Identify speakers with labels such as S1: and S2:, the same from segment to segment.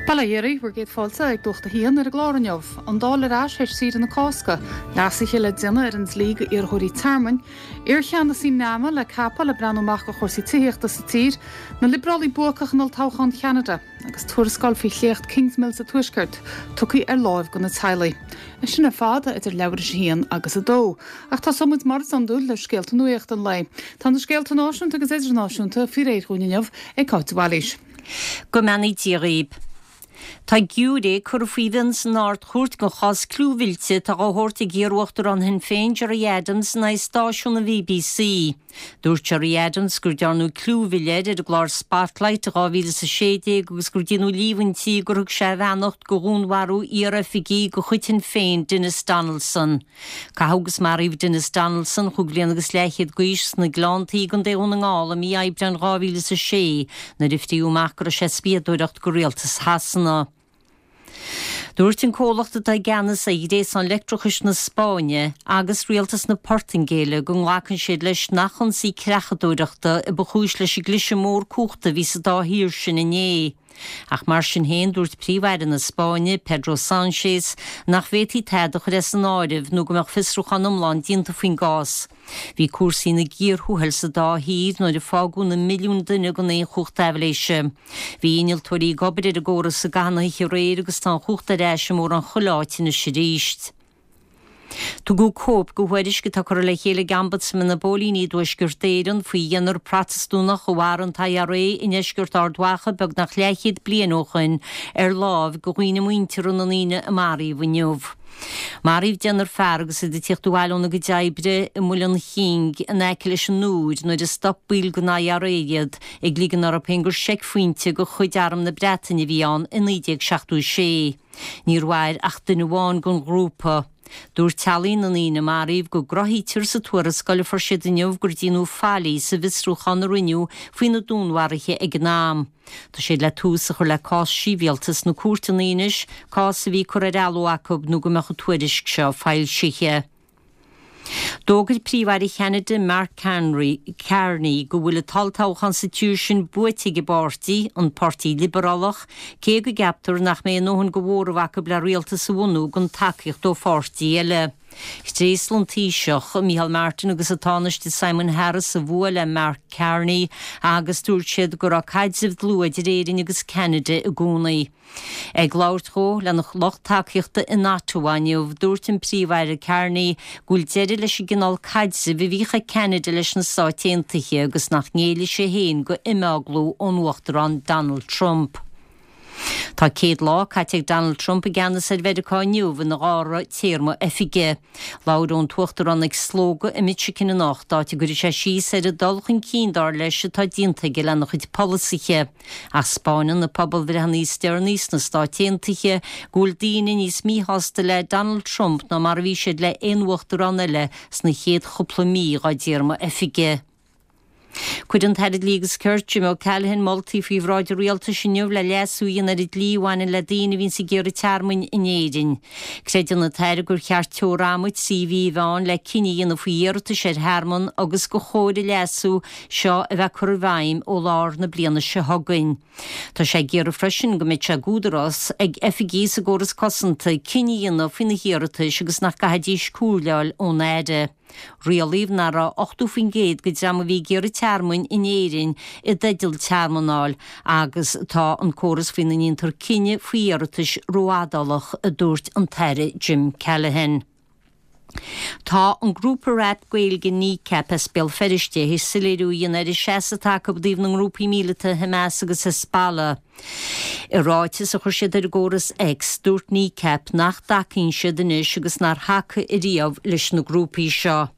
S1: Bail ó Dhia oraibh, bhur gcéad fáilte ag Nuacht a hAon ar an gclár inniu. An Dáil ar ais théis saoire na Cásca. Leasuithe le déanamh ar an dlí go iarrthóirí tearmainn. Iarcheannasaí NAMA le ceapadh le breathnú amach go chúrsaí tithíochta sa tír. Na Liobrálaigh buacach in olltoghchán Cheanada. Agus tuarascáil faoi shléacht Kingsmill sa Tuaisceart tugtha ar láimh go na teaghlaigh. É sin ar fad idir leathuair tar éis a haon agus a dó. Ach tosóidh muid mar is iondúil le scéalta nuachta an lae. Tá na scéalta náisiúnta agus idirnáisiúnta faoi réir dhúinn inniu ag Cáit de Bhailís.
S2: Go mbeannaí Dia dhaoib. Tá giúiré curtha faoi mhionn san Ard-Chúirt den chás clúmhillte atá á thabhairt ag iar-uachtarán Shinn Féin Gerry Adams in aghaidh stáisiún an BBC. Dúirt Gerry Adams gur dearnadh clúmhilleadh air ar an gclár Spotlight i 2016 agus gur déanadh líomhaintí gur thug sé a bheannacht do dhúnmharú iar-oifigigh de chuid Shinn Féin Denis Donaldson. Caitheadh agus maraíodh Denis Donaldson, chúig bhliana agus leathchéad d'aois, sna Gleanntaí i gContae Dhún na nGall i mí Aibreáin 2006 nuair a fríodh amach go raibh sé ag spiadóireacht do rialtas Shasana. Dúirt an comhlacht atá i gceannas ar ghréasán leictreachais na Spáinne agus rialtas na Portaingéile go nglacann siad leis nach ionsaí creachadóireachta a ba chúis leis an gcliseadh mór cumhachta a bhí sa dá thír sin inné. Ach mar sin féin, dúirt Príomh-Aire na Spáinne, Pedro Sánchez, nach bhféadfaí tada a chur as an áireamh nó go mbeadh fiosrúchán iomlán déanta faoin gcás. Bhí cúrsaí ina gcíor thuathail sa dá thír nuair a fágadh na milliúin duine gan aon chumhacht aibhléise. Bhí innealtóirí ag obair ar an gcóras i gcaitheamh na hoíche aréir agus tá an chumhacht ar ais i mórán chuile áit anois arís. Tugadh cóip de thuairisc atá curtha le chéile ag Ombudsman na bPóilíní i dTuaisceart Éireann faoi dheichniúr Protastúnach a mharaigh an t-IRA i ndeisceart Ard Mhacha beagnach leathchéad bliain ó shoin ar láimh do dhaoine muinteartha na ndaoine a maraíodh inniu. Maraíodh deichniúr fear agus iad ag tíocht abhaile óna gcuid oibre i Muileann Ching in aice leis an Iúr nuair a stop baill den IRA iad ag ligean orthu féin gur seicphointe de chuid Arm na Breataine a bhí ann i 1976. Níor mhair ach duine amháin den ghrúpa. Dúirt teaghlaigh na ndaoine a maraíodh go gcruthaítear sa tuarascáil a fuair siad inniu gur déanadh faillí sa bhfiosrúchán a rinneadh faoi na dúnmharuithe ag an am. Tá siad le tús a chur le cás sibhialta sna cúirteanna anois, cás a bhí curtha ar athló acu nó go mbeadh an tuairisc seo foilsithe. D'fhógair Príomh-Aire Cheanada Mark Carney go bhfuil an t-olltoghchán sa tír sin buaite ag a bpáirtí, an Páirtí Liobrálach, cé go gceaptar nach mbeidh a ndóthain de mhóramh acu le rialtas a bhunú gan tacaíocht ó pháirtí eile. Thréaslaigh an Taoiseach, Micheál Martin agus an Tánaiste Simon Harris a bhua le Mark Carney agus dúirt siad go raibh caidreamh dlúth idir Éirinn agus Ceanada i gcónaí. Ag labhairt dhó lena lucht tacaíochta in Ottawa inniu, dúirt an Príomh-Aire Carney go bhfuil deireadh leis an gcineál caidrimh a bhíodh ag Ceanada leis na Stáit Aontaithe agus nach ngéillfidh sé féin go imeaglú ón Uachtarán Donald Trump. Tá 100 lá caite ag Donald Trump i gceannas ar Mheiriceá inniu ina dhara téarma oifige. Labhróidh an tUachtarán ag slógadh i Michigan anocht, áit a gcuirfidh sé síos ar an dul chun cinn, dar leis, atá déanta aige lena chuid polasaithe. Ach 'spáineann na pobalbhreitheanna is deireanaí sna Stáit Aontaithe go bhfuil daoine níos míshásta le Donald Trump ná mar a bhí siad le aon uachtarán eile sna chéad chúpla mí dá dtéarma oifige. Cuirfidh an tAire Dlí agus Cirt, Jim O'Callaghan, moltaí faoi bhráid an Rialtais inniu le leasú a dhéanamh ar an dlí a bhaineann le daoine a bhíonns ag iarraidh tearmainn in Éirinn. Creideann an tAire gur cheart teora ama 3 mhí a bheith ann le cinneadh a dhéanamh faoi iarratais ar thearmann agus gur chóir an leasú seo a bheith curtha i bhfeidhm ó lár na bliana seo chugainn. Tá sé ag iarraidh freisin go mbeidh sé d'údarás ag oifigigh sa gcóras cosanta cinneadh a dhéanamh faoi na hiarratais agus nach gcaithfidís comhairle a fháil ón Aire. Rialaíodh nach raibh 80% den dream a bhí ag iarraidh tearmainn in Éirinn i dteideal tearmann a fháil agus tá an córas faoina ndéantar cinneadh faoi iarratais rófhadálach, a dúirt an tAire Jim Callaghan. Tá an grúpa rap Gaeilge Kneecap as Béal Feirste théis soiléiriú a dhéanamh ar an seasamh atá acu i dtaobh na ngrúpaí míleata Hamas agus Hezbollah. I ráiteas a chuir siad ar an gcóras X, dúirt Kneecap nach dtacaíonn siad anois agus nár thacaigh ariamh leis na grúpaí seo.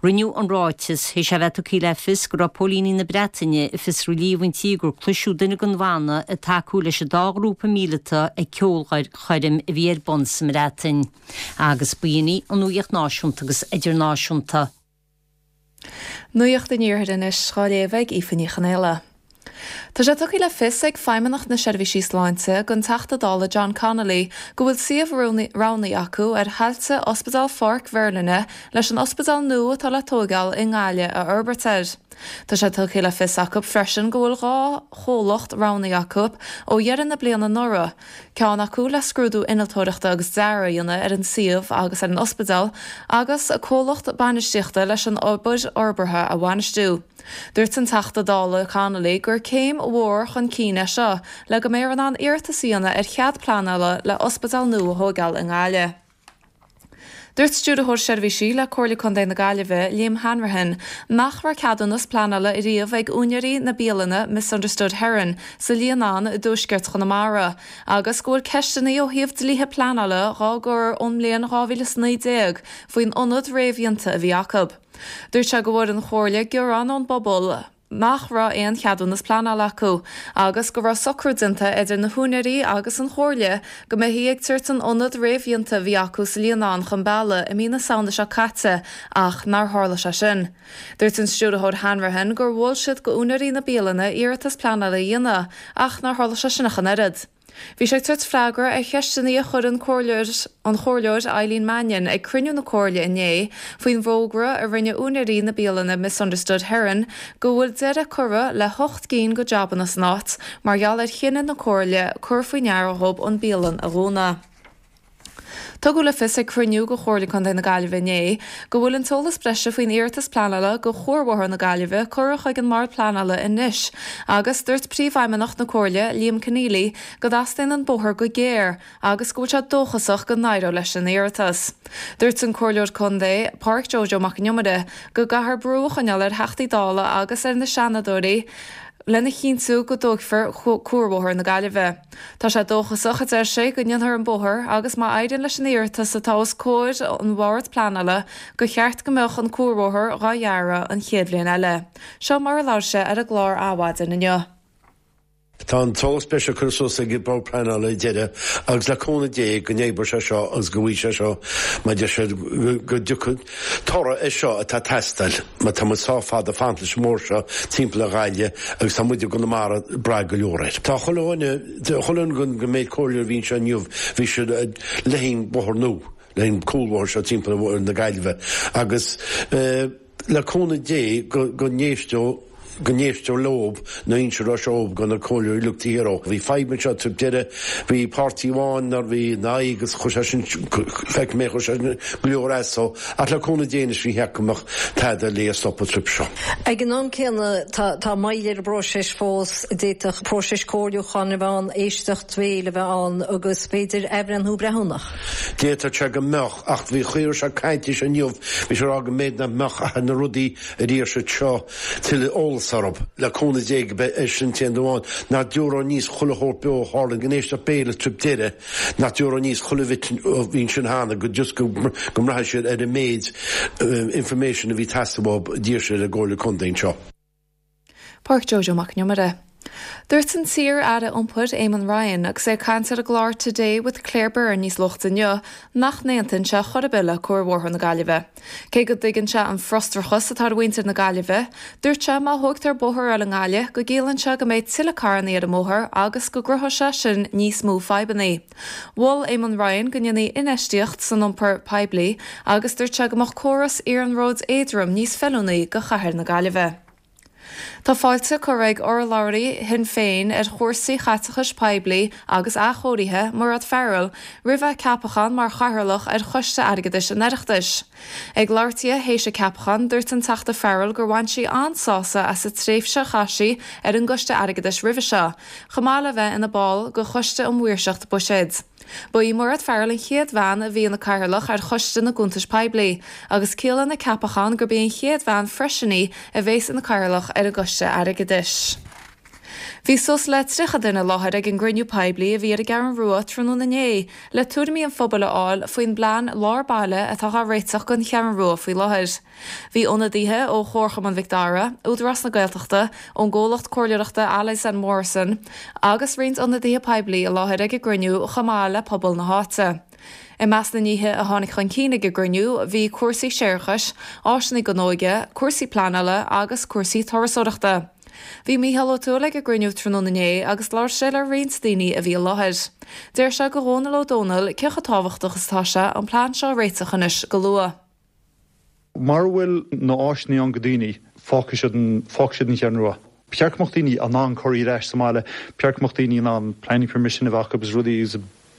S2: Rinneadh an ráiteas théis é bheith tugtha le fios go raibh póilíní na Breataine ag fiosrú líomhaintí gur cloiseadh duine den bhanna ag tacú leis an dá ghrúpa míleata ag ceolchoirm a bhí ar bun sa mBreatain. Agus b'in í an nuacht náisiúnta agus idirnáisiúnta.
S3: Nuacht an Iarthair anois dhá léamh ag Aoife Ní Chonaola. Tá sé tugtha le fios ag Feidhmeannacht na Seirbhísí Sláinte don Teachta Dála John Connolly go bhfuil suíomh roghnaithe acu ar thailte Ospidéal Pháirc Mherlyn leis an ospidéal nua atá le tóigeáil i nGaillimh a fhorbairt air. Tá sé tugtha le fios acu freisin go bhfuil 2 chomhlacht roghnaithe acu ó dheireadh na bliana anuraidh, ceann acu le scrúdú innealtóireachta agus dearaidh a dhéanamh ar an suíomh agus ar an ospidéal agus comhlacht bainistíochta leis an obair fhorbartha a bhainistiú. Dúirt an Teachta Dála Connolly gur céim mhór chun cinn é seo le go mbeifear in ann iarratas a dhéanamh ar chead pleanála le ospidéal nua a thóigeáil i nGaillimh. Dúirt Stiúrthóir Seirbhísí le Comhairle Contae na Gaillimhe, Liam Hanrahan, nach raibh ceadúnas pleanála ariamh ag úinéirí na bialainne Misunderstood Heron sa Líonán i dtuaisceart Chonamara agus go bhfuil ceisteanna ó thaobh dlíthe pleanála dhá gcur ón mbliain 2019 faoin ionad réamhdhéanta a bhí acu. Dúirt sé go bhfuair an Chomhairle gearán ón bpobal, nach raibh aon cheadúnas pleanála acu agus go raibh socrú déanta idir na húinéirí agus an Chomhairle go mbeifí ag tabhairt an ionad réamhdhéanta a bhí acu sa Líonán chun bealaigh i mí na Samhna seo caite ach nár tharla sé sin. Dúirt an Stiúrthóir Hanrahan gur mhol siad go úinéirí na bialainne iarratas pleanála a dhéanamh ach nár tharla sé sin ach an oiread. Bhí sé ag tabhairt freagra ar cheisteanna a chuir an Comhairleoir an Chomhairleoir Eileen Mannion ag cruinniú na Comhairle inné faoin bhfógra a rinne úinéirí na bialainne Misunderstood Heron go bhfuil deireadh curtha le hocht gcinn go jabanna san áit mar gheall ar chinneadh na Comhairle cur faoi ndeara dhób an bialann a dhúnadh. Tugadh le fios ag cruinniú go Chomhairle Contae na Gaillimhe inné go bhfuil an t-eolas breise faoin iarratas pleanála go Chuarbhóthar na Gaillimhe curtha chuig an mBord Pleanála anois agus dúirt Príomhfheidhmeannach na Comhairle, Liam Conneally, go dteastaíonn an bóthar go géar agus go bhfuil sé dóchasach go n-éireoidh leis an iarratas. Dúirt an Comhairleoir Contae, Pádraic Joe Joe Mac an Iomaire, go gcaithfear brú a choinneáil ar Theachtaí Dála agus ar na Seanadóirí lena chinntiú go dtógfar Cuarbhóthar na Gaillimhe. Tá sé dóchasach, a deir sé, go ndéanfar an bóthar agus má éiríonn leis an iarratas atá os comhair an Bhoird Pleanála gur cheart go mbeadh an cuarbhóthar dhá dhearadh an chéad bhliain eile. Seo mar a labhair sé ar an gclár Adhmhaidin inniu.
S4: Tá an t-eolas breise curtha suas ag an Bord Pleanála ar deireadh agus le cúnamh Dé go n-oibreoidh sé seo agus go bhfaighidh sé seo mar deir siad go dtiocfaidh toradh air seo atá ag teastáil mar tá muid sách fada ag fanacht leis an mbóthar seo timpeall ar Ghaillimh agus tá muid i gConamara ag brath go leor air. Tá chuile dhuine, chuile dhuine den méid comhairleoirí a bhí anseo inniu, bhí siad le haghaidh an bóthar nua, le haghaidh an cúlbhóthar seo timpeall ar na Gaillimhe agus le cúnamh Dé go n-éisteodh go n-éistear leob nó inseadh raibh sé óg do na comhairleoirí uilig taobh thiar dhó. Bhí fadhb anseo roimh deireadh, bhí páirtí amháin nár bhí ina aghaidh agus chuir sé sin, feicfidh mé, chuir sé sin go leor as dó. Ach le cúnamh Dé anois ní cheart go mbeadh tada le stopadh roimh seo.
S2: Ag an am céanna tá tá moill ar an bpróiseas fós, d'fhéadfadh próiseas comhairliúcháin a bheith ann, éisteacht bhéil a bheith ann agus b'fhéidir athbhreithniú breithiúnach.
S4: D'fhéadfadh sé go mbeadh, ach bhí chuir sé caint leis inniu, bhí sé ag rá go mb'fhéidir nach mbeadh ach ar na rudaí a d'iarr siad seo tuilleadh eolas orthu, le cúnamh Dé go mbeidh sin an t-aon amháin, nach dtiúrfá aníos chuile shórt beo a tharla in éisteacht béil is roimh deireadh, nach dtiúrfá aníos chuile bhit a bhí ansin cheana go just go mbraithfidh siad ar an méid information a bhí ag teastáil uathu d'iarr siad ar an gComhairle Contae anseo.
S3: Pádraic Joe Joe Mac an Iomaire. Dúirt an t-iar-aire iompair Eamon Ryan agus é ag caint ar an gclár Today with Claire Byrne níos luaite inniu nach n-aontaíonn sé chor ar bith le Cuarbhóthar na Gaillimhe. Cé go dtuigeann sé an frustrachas atá ar mhuintir na Gaillimhe, dúirt sé má thógtar bóthar eile i nGaillimh go gciallaíonn sé go mbeidh tuilleadh carrannaí ar an mbóthar agus go gcruthóidh sé sin níos mó fadhbannaí. Mhol Eamon Ryan go ndéanfaí infheistíocht san iompar poiblí agus dúirt sé go mbeadh córas iarnróid éadroim níos feiliúnaí do chathair na Gaillimhe. Tá fáilte curtha ag urlabhraí Shinn Féin ar chúrsaí chaiteachais poiblí agus athchóirithe, Mairéad Farrell, roimh a ceapachán mar chathaoirleach ar Choiste Airgeadais an Oireachtais. Ag labhairt di théis a ceapacháin, dúirt an Teachta Farrell gur bhain sí an-sásamh as an tréimhse a chaith sí ar an gCoiste Airgeadais roimhe seo, chomh maith le bheith ina ball de Choiste um Maoirseacht Buiséid. Ba í Mairéad Farrell an chéad bhean a bhí ina cathaoirleach ar Choiste na gCuntas Poiblí, agus ciallaíonn a ceapachán gurb í an chéad bhean freisin í a bhéas ina cathaoirleach ar an gCoiste Airgeadais. Bhí suas le 30 duine i láthair ag an gcruinniú poiblí a bhí ar an gCeathrú Rua tráthnóna inné le tuairimí an phobail a fháil faoin bplean lár baile atá á réiteach don Cheathrú Rua faoi láthair. Bhí ionadaithe ó Chomharchumann Mhic Dara, Údarás na Gaeltachta, ón gcomhlacht comhairleoireachta Allies and Morrison agus roinnt ionadaithe poiblí i láthair ag an gcruinniú chomh maith le pobal na háite. I measc na nithe a tháinig chun cinn ag an gcruinniú bhí cúrsaí séarachais, áiseanna don óige, cúrsaí pleanála agus cúrsaí turasóireachta. Bhí Mícheál Ó Tuathail ag an gcruinniú tráthnóna inné agus labhair sé le roinnt daoine a bhí i láthair. Deir sé go Dhónal Ó Dónaill cé chomh tábhachtach is atá sé an plean seo a réiteach anois go luath.
S5: Mara bhfuil na áiseanna ann go daoine. Fágfaidh siad an, fágfaidh siad an Cheathrú Rua. Ba cheart go mbeadh daoine in ann cur ar ais sa mbaile, ba cheart go mbeadh daoine in ann planning permission a bheith acu agus rudaí agus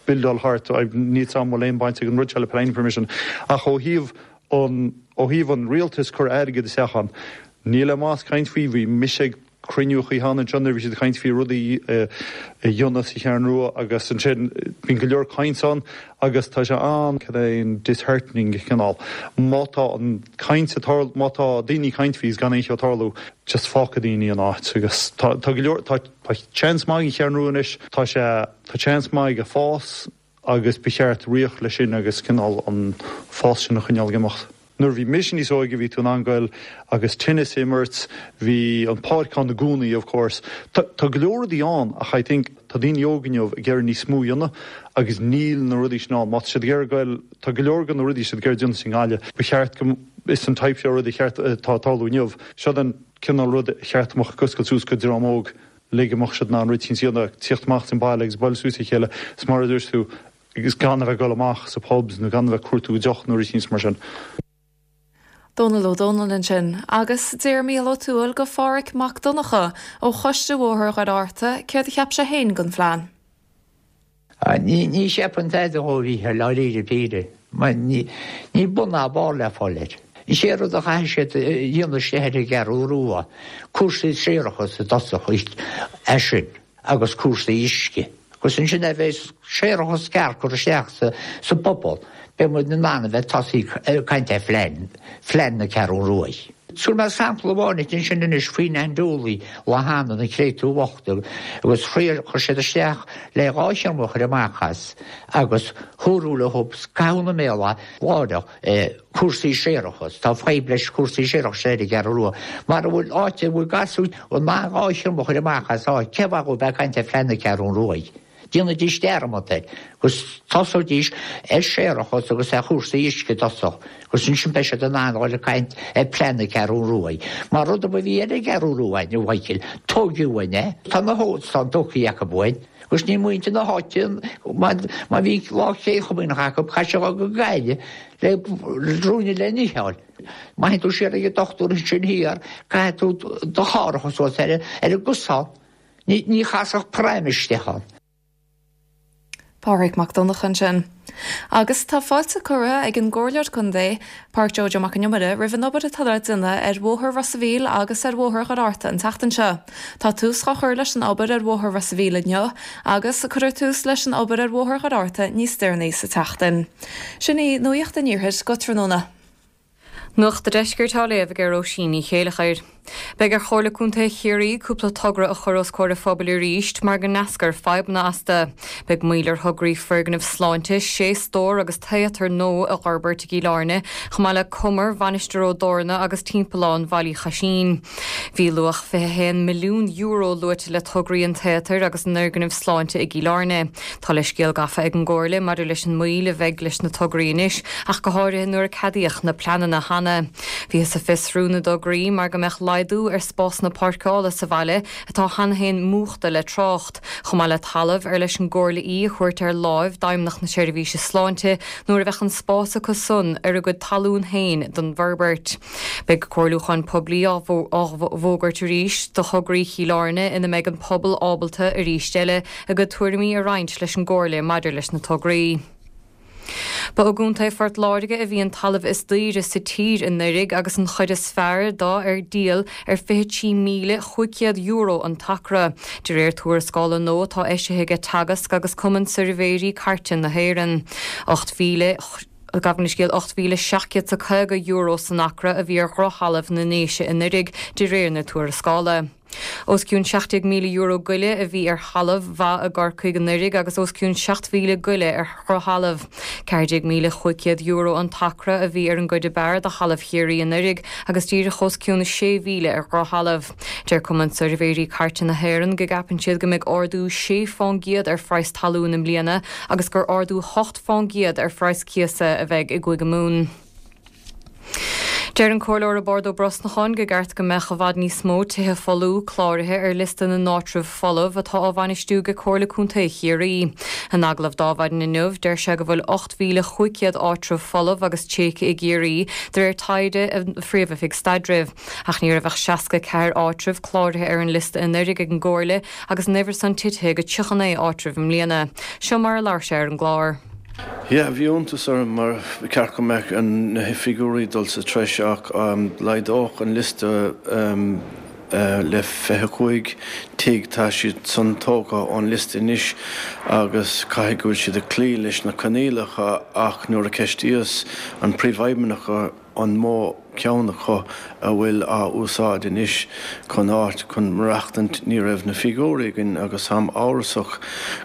S5: buildeáil thart, níl 's a'm an bhfuil aon baint ag an rud seo le planning permission ach ó thaobh an, ó thaobh an rialtais cur airgead isteach ann, níl aon mhaitheas caint faoi, bhí mise ag cruinniú cheana anseo nuair a bhí siad ag caint faoi rudaí a dhéanamh sa Cheathrú Rua agus ansin bíonn go leor caint ann agus tá sé an, cad é an disheartening cineál má tá an caint ag tarlú, má tá daoine ag caint faoi is gan aon cheo ag tarlú just fágfaidh daoine an áit agus tá tá go leor tá tá seans maith ag an Cheathrú Rua anois tá sé tá seans maith aige fás agus ba cheart rith leis sin agus cineál an fás sin a choinneáil ag imeacht. Nuair a bhí mise níos óige bhí tú in ann goil agus tennis a imirt, bhí an páirc ann i gcónaí of course. Tá tá go leor rudaí ann ach I think tá daoine óga inniu ag iarraidh níos mó a dhéanamh agus níl na rudaí sin ann. Má tá siad ag iarraidh goil, tá go leor de na rudaí siad ag iarraidh déanamh sa nGaillimh, ba cheart go, is an type seo rud a cheart atá ag tarlú inniu. Seo an cineál rud a cheart go mbeadh ag oscailt suas go dream óg. le go mbeadh siad in ann rud éicint a dhéanamh, tíocht amach as an baile agus bualadh suas le chéile, is mar a dúirt tú, agus gan a bheith ag dul amach sa pubs nó gan a bheith ag cuartú deoch nó rud éicint mar sin.
S3: Dónal Ó Dónaill ansin. Agus d'iarr Mícheál Ó Tuathail go Phádhraic Mac Donncha ó Choiste Bhóthar Dhoire Fhatharta céard a cheap sé féin den phlean.
S6: Ní cheapaim tada dhó, a Mhícheáil, dáiríre píre. Mar níl bun ná barr le fáil air. Is é rud a chaithfidh siad a dhéanamh istigh ar an gCeathrú Rua, cúrsaí séarachais i dtosach é sin agus cúrsaí uisce. Agus ansin nuair a bheas séarachas ceart curtha isteach sa bpobal, beidh muid in ann a bheith tosaí ag caint ar phlean, phlean na Ceathrún Ruaidh. Tabharfaidh mé sampla amháin duit ansin anois faoin Ann Dooley lá cheana, na créatúir bhochta, agus chuir siad isteach le dhá thriomach a chur amach as agus dúradh leo caitheamh ina mbéal láithreach cúrsaí séarachais. Tá fadhb leis cúrsaí séarachais ar an gCeathrú Rua. Mara bhfuil áit a bhfuil gasúir in ann dhá thriomach a chur amach as áit, cén mhaith dhóibh bheith ag caint ar phlean na Ceathrún Ruaidh? Déanaidís dearmad air, agus tosóidís ar séarachas agus ar chúrsaí uisce i dtosach, agus ansin beidh siad in ann dhul ag caint ar plean na Ceathrún Ruaidh. Mar rud ar bith a bhí ar an gCeathrú Rua againn, a Mhichíl, tóigeadh uainn é. Tá na hóstáin tógtha acu uainn, agus níl muintir na háite, má bhí lá Chéad Chomaoineach acu, chaith siad dhul go Gaillimh le ruainne le n-ithe a fháil. Má théann tú siar ag an dochtúir ansin thiar, caithfidh tú do charr a chur suas ar an gcosán. Ní chasfadh pram isteach ann.
S3: Pádraig Mac Donncha ansin. Agus tá fáilte curtha ag an gComhairleoir Contae, Pádraic Joe Joe Mac an Iomaire, roimh an obair atá le déanamh ar Bhóthar Ros a' Mhíl agus ar Bhóthar Dhoire Fhatharta an tseachtain seo. Tá tús á chur leis an obair ar Bhóthar Ros a' Mhíl inniu agus cuirfear tús leis an obair ar Bhóthar Dhoire Fhatharta níos deireanaí sa tseachtain. Sin í Nuacht an Iarthair go tráthnóna.
S7: Nuacht an Deiscirt á léamh ag Róisín Ní Chéileachair. Beidh ar Chomhairle Contae Chiarraí cúpla togra a chur os comhair an phobail arís mar go n-eascair fadhbanna astu. Beidh moill ar thograí foirgneamh sláinte sé stór agus téatar nua a fhorbairt i gCill Airne, chomh maith le cumar Mhainistir Ó dTorna agus timpeallán Bhaile Uí Chaisín. Bhí luach €21 milliún luaite le tograí an téatair agus an fhoirgnimh sláinte i gCill Airne. Tá leithscéal gafa ag an gComhairle maidir leis an moill a bheidh leis na tograí anois, ach go háirithe nuair a ceadaíodh na pleananna cheana. Bhíothas ag fiosrú na dtograí mar go mbeadh laghdú ar spásanna páirceála sa bhaile atá cheana féin múchta le trácht, chomh maith le talamh ar leis an gComhairle í a thabhairt ar láimh d'Fheidhmeannacht na Seirbhíse Sláinte nuair a bheadh an spás acu san ar a gcuid talún féin don bhforbairt. Beidh comhairliúchán poiblí á bhfógairt arís do thograí Chill Airne ina mbeidh an pobal ábalta, arís eile, a gcuid tuairimí a roinnt leis an gComhairle maidir leis na tograí. Ba i gContae Phort Láirge a bhí an talamh is daoire sa tír anuraidh agus an chuid is fearr dó ar díol ar €23,500 an t-acra, de réir tuarascála nua atá eisithe aige Teagasc agus Cumann Suirbhéirí Cairte na hÉireann. 8,000. Gabh mo leithscéal, €8,750 san acra a bhí ar dhrochthalamh na nDéise anuraidh, de réir na tuarascála. Os cionn €17,000 goile a bhí ar thalamh mhaith i gCorcaigh anuraidh agus os cionn 7,000 goile ar dhrochthalamh. €14,500 an t-acra a bhí ar an gcuid ab fhearr de thalamh Chiarraí anuraidh agus díreach os cionn 6,000 ar dhrochthalamh. Deir Cumann Suirbhéirí Cairte na hÉireann go gceapann siad go mbeidh ardú 6 fán gcéad ar phraghas talún i mbliana agus gur ardú 8 fán gcéad ar phraghas cíosa a bheidh i gCúige Mumhan. Deir an Comhairleoir Roibeárd Ó Brosnacháin gur ceart go mbeadh i bhfad níos mó tithe folmha cláraithe ar liosta na n-áitreabh folamh atá á bhainistiú ag Comhairle Contae Chiarraí. In agallamh d'Adhmhaidin inniu, deir sé go bhfuil 8,500 áitreabh folamh agus tréigthe i gCiarraí de réir taighde an Phríomh-Oifig Staidrimh. Ach ní raibh ach 64 áitreabh cláraithe ar an liosta anuraidh ag an gComhairle agus an uimhir san titithe go 39 áitreabh i mbliana. Seo mar a labhair sé ar an gclár.
S8: Yeah, bhí iontas orm mar ba cheart go mbeadh na figiúirí dul sa treis ach laghdódh an liosta le 25 tigh, tá siad san tógtha ón liosta anois agus caithfidh go bhfuil siad ag cloí leis na coinníollacha ach nuair a ceistíos an príomhfheidhmeannach an mó ceann acu a bhfuil á úsáid anois chun áit chun maireachtaint, ní raibh na figiúirí againn agus táim amhrasach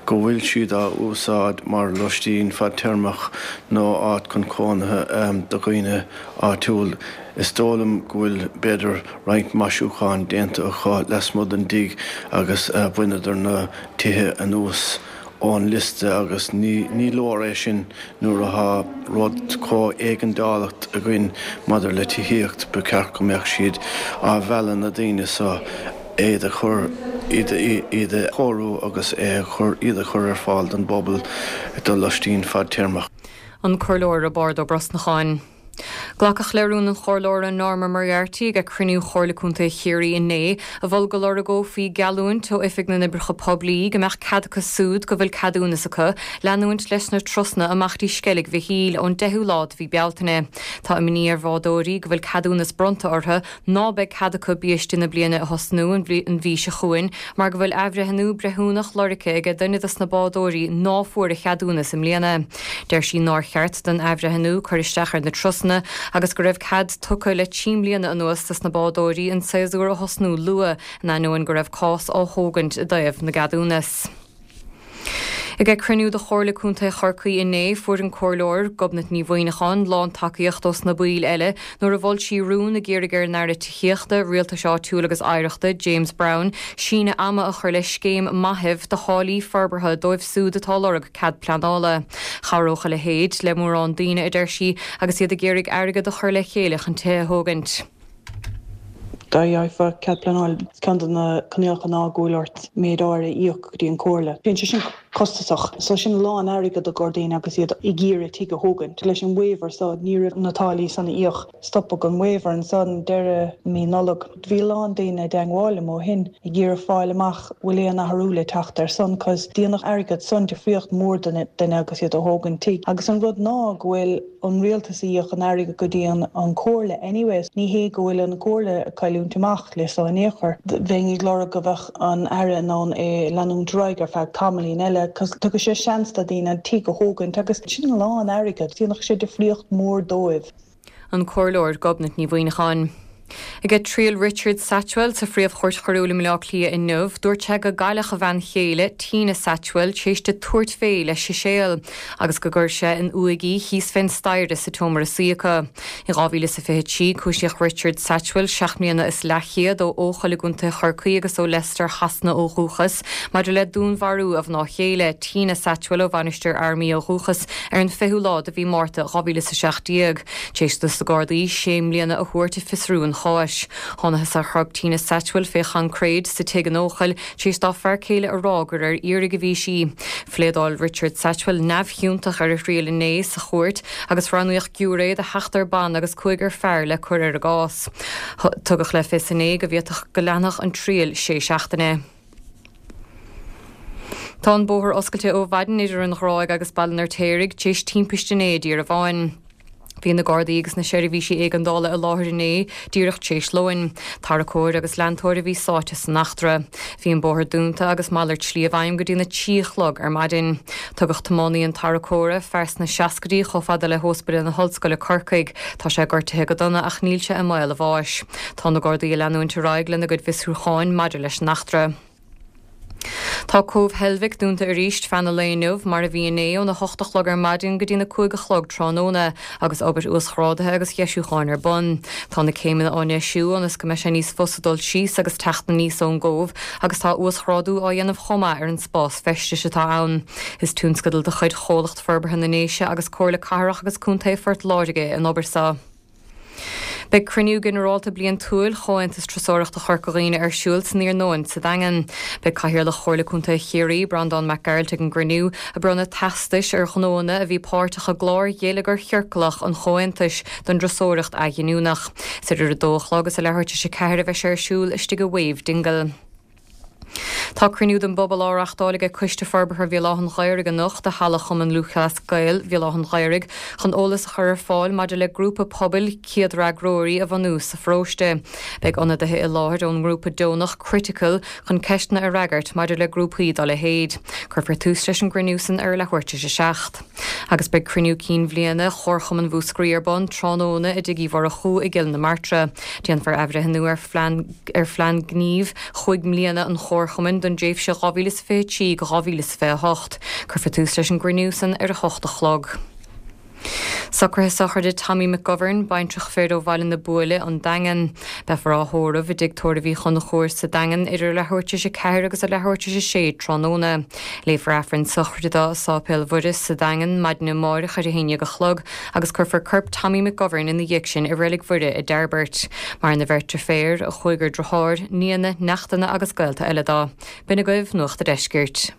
S8: go bhfuil siad á úsáid mar loistín fadtéarmach nó áit chun cónaithe do dhaoine áitiúil. Is dóigh liom go bhfuil b'fhéidir roinnt maisiúcháin déanta acu lasmuigh den dtigh agus bhaineadar na tithe anuas. ón liosta agus ní leor é sin nuair atá rud chomh éigeandálach againn maidir le tithíocht, ba cheart go mbeadh siad á mhealladh na daoine so iad a chur, iad a chóiriú agus é a chur, iad a chur ar fáil don bpobal do loistín fadtéarmach.
S7: An Comhairleoir Roibeárd Ó Brosnacháin. Glacadh le rún an Chomhairleora Norma Moriarty ag cruinniú Chomhairle Contae Chiarraí inné, a mhol go lorgófaí geallúint ó Oifig na nOibreacha Poiblí go mbeadh cead acu súd go bhfuil ceadúnas acu leanúint leis na turasanna amach dtí Sceilg Mhichíl ón 10ú lá de mhí Bealtaine. Tá imní ar bhádóirí go bhfuil ceadúnas bronnta orthu ná beidh cead acu biaiste na bliana a thosnú an mhí seo chugainn mar go bhfuil athbhreithniú breithiúnach lorgtha aige duine dos na bádóirí ná fuair a cheadúnas i mbliana. Deir sí nár cheart don athbhreithniú cur isteach ar na turasanna agus go raibh cead tugtha le trí mbliana anuas dos na bádóirí an séasúr a thosnú luath in ainneoin go raibh cás á thógaint i dtaobh na gceadúnas. Ag cruinniú de Chomhairle Contae Chorcaí inné, fuair an Comhairleoir, Gobnait Ní Mhuimhneacháin, lántacaíocht ós na baill eile nuair a mhol sí rún ag iarraidh ar an Aire Tithíochta, Rialtais Áitiúil agus Oidhreachta, James Browne, síneadh ama a chur le scéim maithimh do tháillí forbartha dóibh súd atá ag lorg cead pleanála. Chabhródh a leithéid le mórán daoine, a deir sí, agus iad ag iarraidh airgead a chur le chéile chun tithe a thógaint.
S9: Dá bhfaighfeá cead pleanála, ceann de na coinníollacha ná go bhfuil ort méid áirithe a íoc go dtí an Comhairle. Bíonn sé sin costasach. So sin a lán airgead do dhaoine agus iad ag iarraidh tigh a thógaint. Leis an waiver so ní raibh na táillí san a íoc. Stopadh an waiver ansan deireadh mí Nollag. Bhí a lán daoine i dteangmháil liom ó shin ag iarraidh fáil amach bhfuil aon athrú le teacht ar san cos dhéanfadh airgead san difríocht mór do duine agus iad a thógaint tigh. Agus an rud ná go bhfuil an rialtas a íoc an airgead go dtí an comhairle anyways. Ní hé go bhfuil an comhairle ag cailliúint amach le so in aon chor. Bheinn ag lorg go bheadh an Aire in ann é leanúint ar aghaidh ar feadh tamaillín eile cos tugadh sé seans do daoine an tigh a thógaint agus sin a lán airgead. Dhéanfadh sé difríocht mór dóibh.
S7: An Comhairleoir Gobnait Ní Mhuimhneacháin. Ag triail Richard Satchwell sa Phríomh-Chúirt Choiriúil i mBaile Átha Cliath inniu, dúirt sé go gcailleadh a bhean chéile, Tina Satchwell, tar éis di tabhairt fé le siséal agus go gcuir sé in uaigh í thíos fén staighre sa tseomra suí acu. In 2023, cúisíodh Richard Satchwell, seacht mbliana is leathchéad, ó Eochaill i gContae Chorcaí agus ó Leicester Shasana ó dhúchas, maidir le dúnmharú a mhná chéile, Tina Satchwell ó Mhainistir Fhear Maí ó dhúchas, ar an 20ú lá de mhí Márta 2017. Tar éis dos na Gardaí sé mbliana a thabhairt ag fiosrú an cháis. Thánathas ar chorp Tina Satchwell fé choincréid sa tigh in Eochaill tar éis dá fear céile a rá gur ar iarraidh a bhí sí. Phléadáil Richard Satchwell neamhchiontach ar a thriail inné sa chúirt agus roghnaíodh giúiré de sheachtar ban agus cúigear fear le cur ar an gcás. Tugadh le fios inné go bhféadfadh go leanfadh an triail sé seachtaine. Tá an bóthar oscailte ó mhaidin idir an Ghráig agus Baile an Fheirtéaraigh tar éis timpiste inné i dTír Bháin. Bhí na Gardaí agus na seirbhísí éigeandála i láthair inné díreach tar éis lóin. Tarracóir agus leantóir a bhí sáite san eachtra. Bhí an bóthar dúnta agus malairt slí i bhfeidhm go dtí na trí a chlog ar maidin. Tugadh tiománaí an tarracóra, fear sna seascaidí, chomh fada le hÓspidéal na hOllscoile Corcaigh. Tá sé gortaithe go dona ach níl sé i mbaol a bháis. Tá na Gardaí ag leanúint ar aghaidh lena gcuid bhfiosrúcháin maidir leis an eachtra. Tá Cóbh Heilbhic dúnta arís feadh an lae inniu, mar a bhí inné, óna hocht a chlog ar maidin go dtí na 5 a chlog tráthnóna, agus obair uasghrádaithe agus dheisiúcháin ar bun. Tá na céimeanna á ndeisiú ionas go mbeidh sé níos fusa dul síos agus teacht aníos ón gcóbh, agus tá uasghrádú á dhéanamh chomh maith ar an spás feistis atá ann. Is tionscadal de chuid Chomhlacht Forbartha na nDéise agus Comhairle Cathrach agus Contae Phort Láirge é an obair seo. Beidh cruinniú ginearálta bliantúil Chomhaontas Turasóireachta Chorca Dhuibhne ar siúl san iarnóin sa Daingean. Beidh Cathaoirleach Chomhairle Contae Chiarraí, Breandán Mac Gearailt ag an gcruinniú, ag bronnadh teastais ar ghnóanna a bhí páirteach i gclár gheilleagar chiorclach an Chomhaontais don dturasóireacht athghiniúnach. Is idir a dó a chlog is a leathuair tar éis a 4 a bheidh sé ar siúl istigh i Wave Dingle. Tá cruinniú den bpobal á reachtáil aige Coiste Forbartha Bhéal Átha'n Ghaorthaidh anocht i Halla Chumann Lúthchleas Gael Bhéal Átha'n Ghaorthaidh chun eolas a chur ar fáil maidir le grúpa pobail céadfhreagróirí a bhunú sa pharóiste. Beidh ionadaithe i láthair ón ngrúpa deonach Critical chun ceisteanna a fhreagairt maidir le grúpaí dá leithéid. Cuirfear tús leis an gcruinniú san ar a leathuair tar éis a 7. Agus beidh cruinniú cinn bhliana Chomharchumann Mhúscraí ar bun tráthnóna i dTigh Uí Mhurchú i gCill na Martra. Déanfar athbhreithniú ar ar phlean gnímh chúig mbliana an Chomharchumainn don dtréimhse 2023-2028. Cuirfear tús leis an gcruinniú san ar a hocht a chlog. Socruithe sochraide Tommy McGovern, baintreach fir ó Bhaile na Buaile, An Daingean. Beifear á thórramh i dTigh Tórraimh Uí Chonchúir sa Daingean idir a leathuair tar éis a ceathair agus a leathuair tar éis a sé tráthnóna. Léifear Aifreann sochraide dó i Sáipéal Mhuire sa Daingean maidin amáireach ar a haon dhéag a chlog agus cuirfear corp Tommy McGovern ina dhiaidh sin i Reilig Mhuire i dTairbirt. Maireann a bheirt deirféar, a chúigear driotháir, nianna, neachtanna agus gaolta eile dó. B'in agaibh Nuacht a' Deiscirt.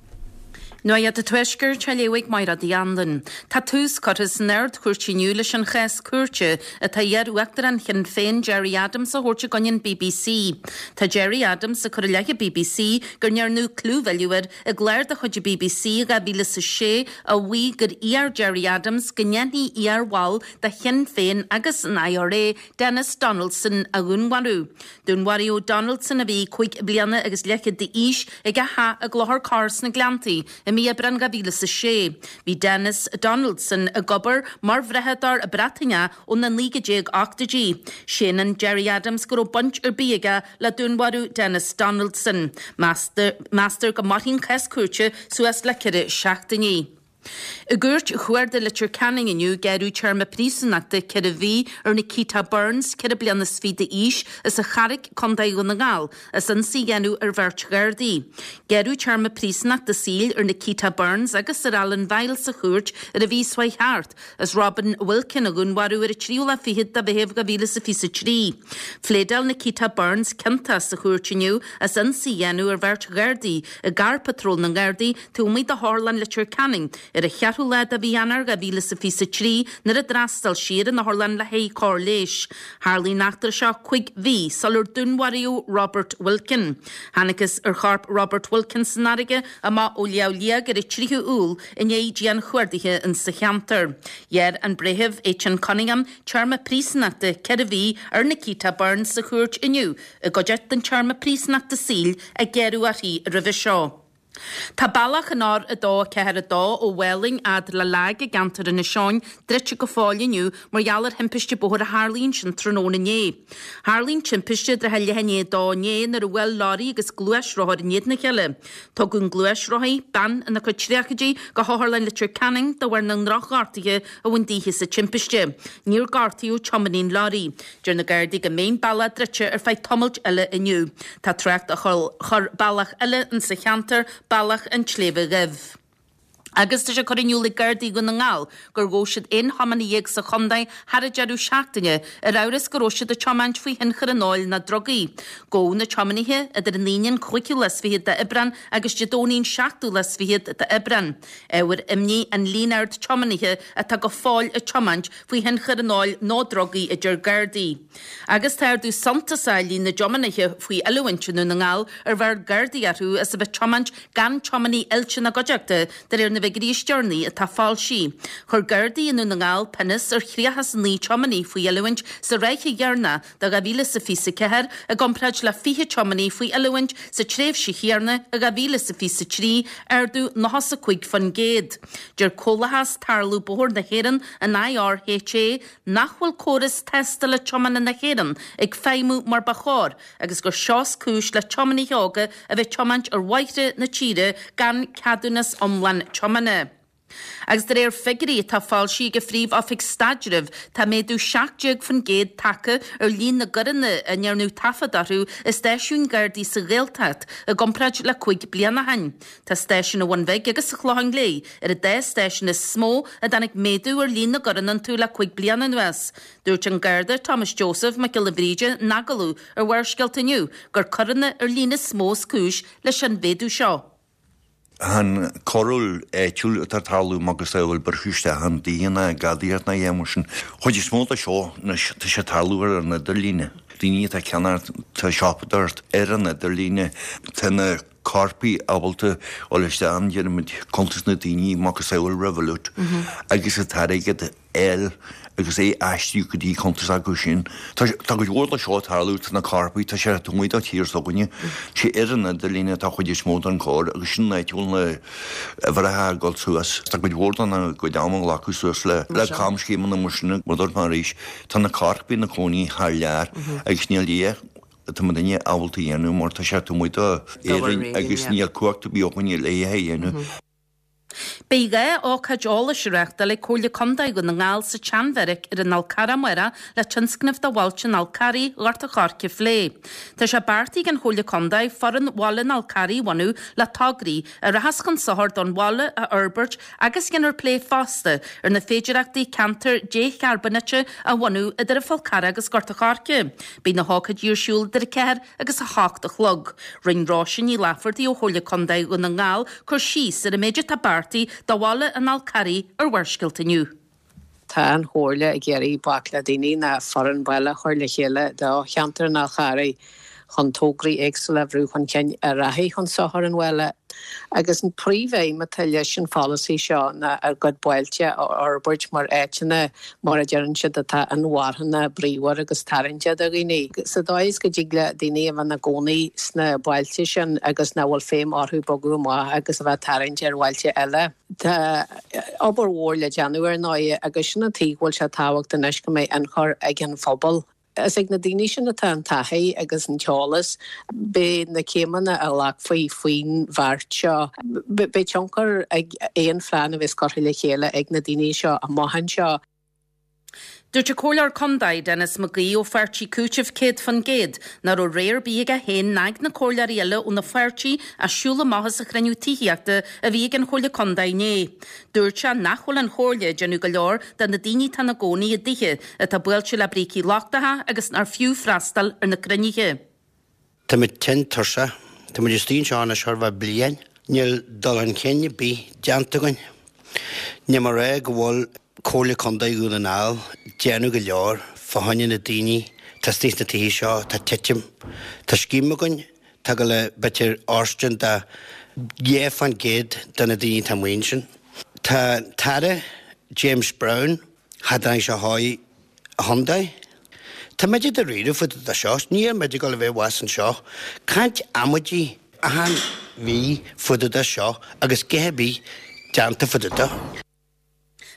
S10: Nuacht an Tuaiscirt á léamh ag Máire Uí Anluain. Tá tús curtha san Ard-Chúirt inniu leis an chás cúirte atá iar-uachtarán Shinn Féin Gerry Adams a thabhairt i gcoinne an bbc. Tá Gerry Adams ag cur i leith an bbc go ndearnadh clúmhilleadh air i gclár de chuid an bbc i 2006 a mhaígh gur iarr Gerry Adams go ndéanfaí iar-bhall de Shinn Féin agus an IRA, Denis Donaldson, a dhúnmharú. Dúnmharaíodh Donaldson, a bhí 5 bliana agus leathchéad d'aois, ag a theach i gClochar Corr sna Gleanntaí i mí Aibreán 2006. Bhí Denis Donaldson ag obair mar bhrathadóir Breataineach ó na 1980idí. Séanann Gerry Adams go raibh baint ar bith aige le dúnmharú Denis Donaldson. Meastar go mairfidh an cás cúirte suas le ceithre seachtainí. I gCúirt Chuarda Leitir Ceanainn inniu gearradh téarma príosúnachta 4 mhí ar Nikita Burns, 24 bliana d'aois, as an Charraic, Co. Dhún na nGall, as ionsaí a dhéanamh ar bheirt Ghardaí. Gearradh téarma príosúnachta saoil ar Nikita Burns agus ar Alan Vile sa chúirt ar an mhí seo chuaigh thart, as Robin Wilkin a dhúnmharú ar an tríú lá fichead de Mheitheamh 2023. Phléadáil Nikita Burns ciontach sa chúirt inniu as ionsaí a dhéanamh ar bheirt Ghardaí i gcarr patróil na nGardaí taobh amuigh de Otharlann Leitir Ceanainn ar an cheathrú lá de mhí Eanáir 2023 nuair a d'fhreastail sí ar an otharlann le haghaidh cóir leighis. Tharlaigh an eachtra seo cuig mhí sular dúnmharaíodh Robert Wilkin. Thángthas ar chorp Robert Wilkin san fharraige amach ó Shliabh Liag ar an 3ú Iúil i ndiaidh dianchuardaithe insa cheantar. Ghearr an Breitheamh Étain Cunningham téarma príosúnachta 4 mhí ar Nikita Burns sa chúirt inniu i gcuideachta den téarma príosúnachta saoil a gearradh uirthi roimhe seo. Tá bealach an R2 4 2 ó Mhálainn fhad le Leag i gceantar Inis Eoghain druidte go fóill inniu mar gheall ar thimpiste bóthair a tharlaigh ansin tráthnóna inné. Tharlaigh an timpiste i dtrátha leath i ndiaidh a dó inné nuair a bhuail leoraí agus gluaisrothar in éadan a chéile. Tugadh an gluaisrothaí, bean ina cuid tríochaidí, go hOtharlann Leitir Ceanainn de bharr na ndrochghortuithe a bhain daoithe sa timpiste. Níor gortaíodh tiománaí an leoraí. Deir na Gardaí go mbeidh an bealach druidte ar feadh tamaill eile inniu. Tá trácht á chur bealach eile insa cheantar, Bealach an tSléibhe Dhuibh. Agus tá sé curtha in iúl ag Gardaí Dhún na nGall gur ghabh siad 11 thiománaí sa chontae thar an deireadh seachtaine ar amhras go raibh siad ag tiomáint faoi thionchar an óil nó drugaí. Gabhadh na tiománaithe idir an Aoine an cúigiú lá is fichead d'Aibreán agus Dé Domhnaigh an seachtú lá is fichead d'Aibreán. Ábhar imní an líon ard tiománaithe atá go fóill ag tiomáint faoi thionchar an óil nó drugaí, a deir Gardaí. Agus tá ardú suntasach i líon na dtiománaithe faoi oiliúint i nDún na nGall ar bheir Gardaí orthu as a bheith tiomáint gan tiománaí oilte ina gcuideachta, de réir na bhfigiúirí is deireanaí atá foilsithe. Chuir Gardaí i nDún na nGall pionós ar 39 tiománaí faoi oiliúint sa ráithe dheireanach de 2024 i gcomparáid le 20 tiománaí faoi oiliúint sa tréimhse chéanna i 2023, ardú 95%. Deir Comhlachas Tarlú Bóthair na hÉireann, an IRHA, nach bhfuil córas tástála tiomána na hÉireann ag feidhmiú mar ba chóir agus gur seo is cúis le tiománaithe óga a bheith ag tiomáint ar bhóithre na tíre gan ceadúnas iomlán tiomána. Agus de réir figiúirí atá foilsithe ag an Phríomh-Oifig Staidrimh, tá méadú 17% tagtha ar líon na gcoireanna a ndearnadh taifead orthu i stáisiúin Ghardaí sa Ghaeltacht i gcomparáid le 5 bliana ó shin. Tá stáisiún an Bhun Bhig agus an Chlocháin Léith ar an dá stáisiún is mó a dtáinig méadú ar líon na gcoireanna iontu le 5 bliana anuas. Dúirt an Garda Thomas Joseph Mac Giolla Bhríde in agallamh ar Bharrscéalta inniu gur coireanna ar líne is mó is cúis leis an mhéadú seo.
S11: An choiriúil áitiúil atá ag tarlú macasamhail briseadh isteach i dtithe ná gadaíocht ná a dhath mar sin. Chuid is mó de seo anois tá sé ag tarlú ar an idirlíne. Daoine atá ag ceannacht, tá siopadóireacht ar an idirlíne, tá na coirpigh ábalta dul isteach in déarfaidh muid cuntas na daoine macasamhail Revolut agus an t-airgead fháil agus é a aistriú go dtí cuntas acu sin. Tá cuid mhór de seo ag tarlú, tá na coirpigh, tá sé taobh amuigh de tír s'againne, tá sé ar an idirlíne atá chuid is mó den choir agus sin an áit a bhfuil na uimhreacha ag dul suas. Tá cuid mhór dá gcuid ama a ghlacadh suas le camscéimeanna mar sin mar dúirt mé arís, tá na coirpigh ina cónaí thar lear agus níl a dhath atá muidinne ábalta a dhéanamh mar tá sé taobh amuigh d'Éirinn agus níl cumhacht ar bith againne le é a dhéanamh.
S10: Beidh 2 ócáid eolais á reáchtáil ag Comhairle Contae Dhún na nGall sa tSeanbheairic ar an Fhál Carrach amárach le tionscnamh do bhailte an Fhál Carraigh, Ghort a' Choirce a phlé. Tá sé beartaithe ag an Chomhairle Contae Foireann Bhaile an Fhál Carraigh a bhunú le tograí a rachas chun sochair don bhaile a fhorbairt agus déanfar plé fosta ar na féidireachtaí ceantar décharbónaithe a bhunú idir an Fál Carrach agus Gort a' Choirce. Beidh na hócáidí ar siúl idir 4 agus 8 a chlog. Rinne Róise Ní Laifeartaigh ó Chomhairle Contae Dhún na nGall cur síos ar an méid atá beartaithe do bhaile an Fhál Carraigh ar Bharrscéalta inniu.
S12: Tá an Chomhairle ag iarraidh bac le daoine ná foireann baile a chur le chéile do cheantar an Fhál Charraigh chun tograí éagsúla a bhrú chun cinn a rachaidh chun sochair an bhaile. Agus an príomhaidhm atá leis an pholasaí seo ná ár gcuid bailte a fhorbairt mar áiteanna, mar a deireann siad, atá inmharthana, bríomhar agus tarraingteach do dhaoine. Sa dóigh is go dtig le daoine a bheith ina gcónaí sna bailte sin agus nach bhfuil feidhm orthu bogadh amach agus a bheith tarraingthe ar bhailte eile. Tá obair mhór le déanamh ar ndóigh agus sin an tuige go bhfuil sé tábhachtach anois go mbeidh ionchur ag an phobal. Is ag na daoine sin atá an taithí agus an t-eolas. Beidh na céimeanna a ghlacfaí faoin bheart seo, beidh tionchar ag aon phlean a bheas curtha le chéile ag na daoine seo amach anseo.
S10: Dúirt an Comhairleoir Contae, Denis McGee ó pháirtí Cúiteamh 100% nach raibh rogha ar bith aige féin ná ag na comhairleoirí eile óna pháirtí ach siúl amach as an chruinniú tithíochta a bhí ag an Chomhairle Contae inné. Dúirt sé nach bhfuil an Chomhairle ag déanamh go leor do na daoine atá ina gcónaí i dtithe atá buailte le brící lochtacha agus nár fiú freastal ar na cruinnithe.
S13: Táimid tinn tuirseach. Táimid istigh anseo anois chóir a bheith bliain. Níl dul chun cinn ar bith déanta againn. Níl mé ag rá go bhfuil Comhairle Contae Dhún na nGall déanamh go leor fá choinne na daoine atá istigh sna tithe seo atá ag titim. Tá scéim againn atá ag gabháil le b'fhéidir fóirstean do 2% de na daoine atá amuigh ansin. Tá an tAire James Browne, cha dtáinig sé chuig an chontae. Tá muid i dáiríre fá dtaobh de seo, níl muid ag dul a bheith abhus anseo. Caint amaidí achan mhí fá dtaobh de seo agus a dhath ar bith déanta fá dtaobh de.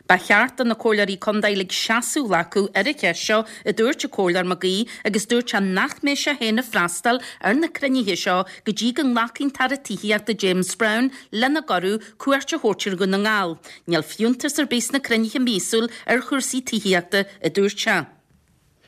S10: Ba cheart do na Comhairleoirí Contae uilig seasamh a ghlacadh ar an cheist seo, a dúirt an Comhairleoir McGee agus dúirt sé nach mbeidh sé féin ag freastal ar na cruinnithe seo go dtí go nglacfaidh an tAire Tithíochta James Browne lena gcuireadh cuairt a thabhairt ar Dhún na nGall. Níl fiúntas ar bith sna cruinnithe míosúil ar chúrsaí tithíochta, a dúirt sé.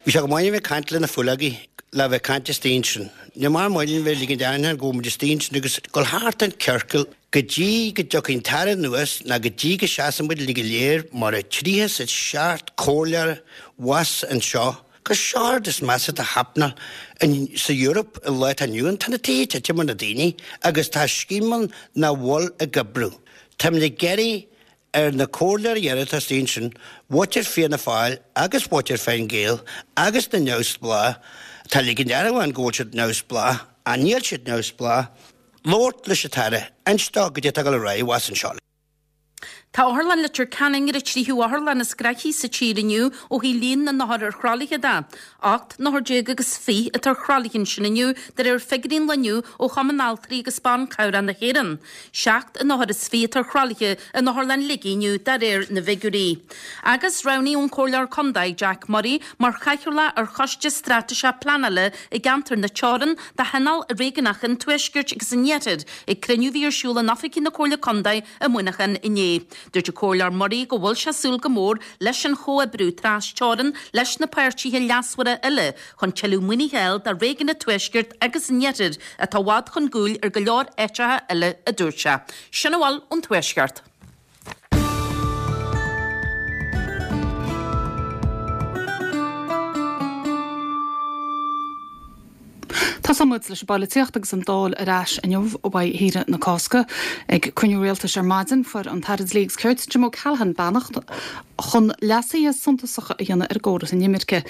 S13: Bhí sé go maith a bheith ag caint le na faoileogaí, le bheith ag caint istigh ansin. Ní maith linn bheith ag ligint airneáin go bhfuil muid istigh ansin agus dul thart an ciorcal go dtí go dtiocfaidh an tAire anuas ná go dtí go seasann muid uilig go léir mar a 37 comhairleoir abhus anseo gur seo an rud is measa atá happenáil sa Europe an lá atá inniu ann. Tá na tithe ag titim ar na daoine agus tá scéim ann nach bhfuil ag oibriú. Táimid ag iarraidh ar na comhairleoirí eile atá istigh ansin, mhuintir Fianna Fáil agus mhuintir Fine Gael agus na neamhspleách, atá ag ligint airneáin go bhfuil siad neamhspleách, ach níl siad neamhspleách, labhairt leis an tAire, inst dó goidé atá ag dul ar aghaidh abhus anseo.
S10: Tá Otharlann Leitir Ceanainn ar an tríú otharlann is gnoithí sa tír inniu ó thaobh líon na n-othar ar thralaithe de. 18 n-othar agus 20 atá ar thralaithe ansin inniu, de réir figiúirí an lae inniu ó Chumann Altraí agus Ban Cabhrach na hÉireann. 27 n-othar atá ar thralaithe in Otharlann Shligigh inniu de réir na bhfigiúirí. Agus roghnaíodh an Comhairleoir Contae Jack Murray mar chathaoirleach ar Choiste Straitéiseach Pleanála i gceantar na Teorann do Thionól Réigiúnach an Tuaiscirt agus an Iarthair ag cruinniú a bhí ar siúl in oifigí na Comhairle Contae i Muineachán inné. Dúirt an Comhairleoir Murray go bhfuil sé ag súil go mór leis an chomhoibriú tras-teorann leis na páirtithe leasmhara uile chun tuilleadh maoinithe a fháil do réigiún an Tuaiscirt agus an Iarthair atá i bhfad chun gcúil ar go leor áiteacha eile, a dúirt sé. Sin a bhfuil ón Tuaisceart.
S1: Tosóidh muid leis an bpolaitíocht agus an Dáil ar ais inniu ó uaidh shaoire na Cásca. Ag cruinniú rialtais ar maidin, fuair an tAire Dlí agus Cirt, Jim O'Callaghan beannacht chun leasuithe suntasacha a dhéanamh ar an gcóras inimirce.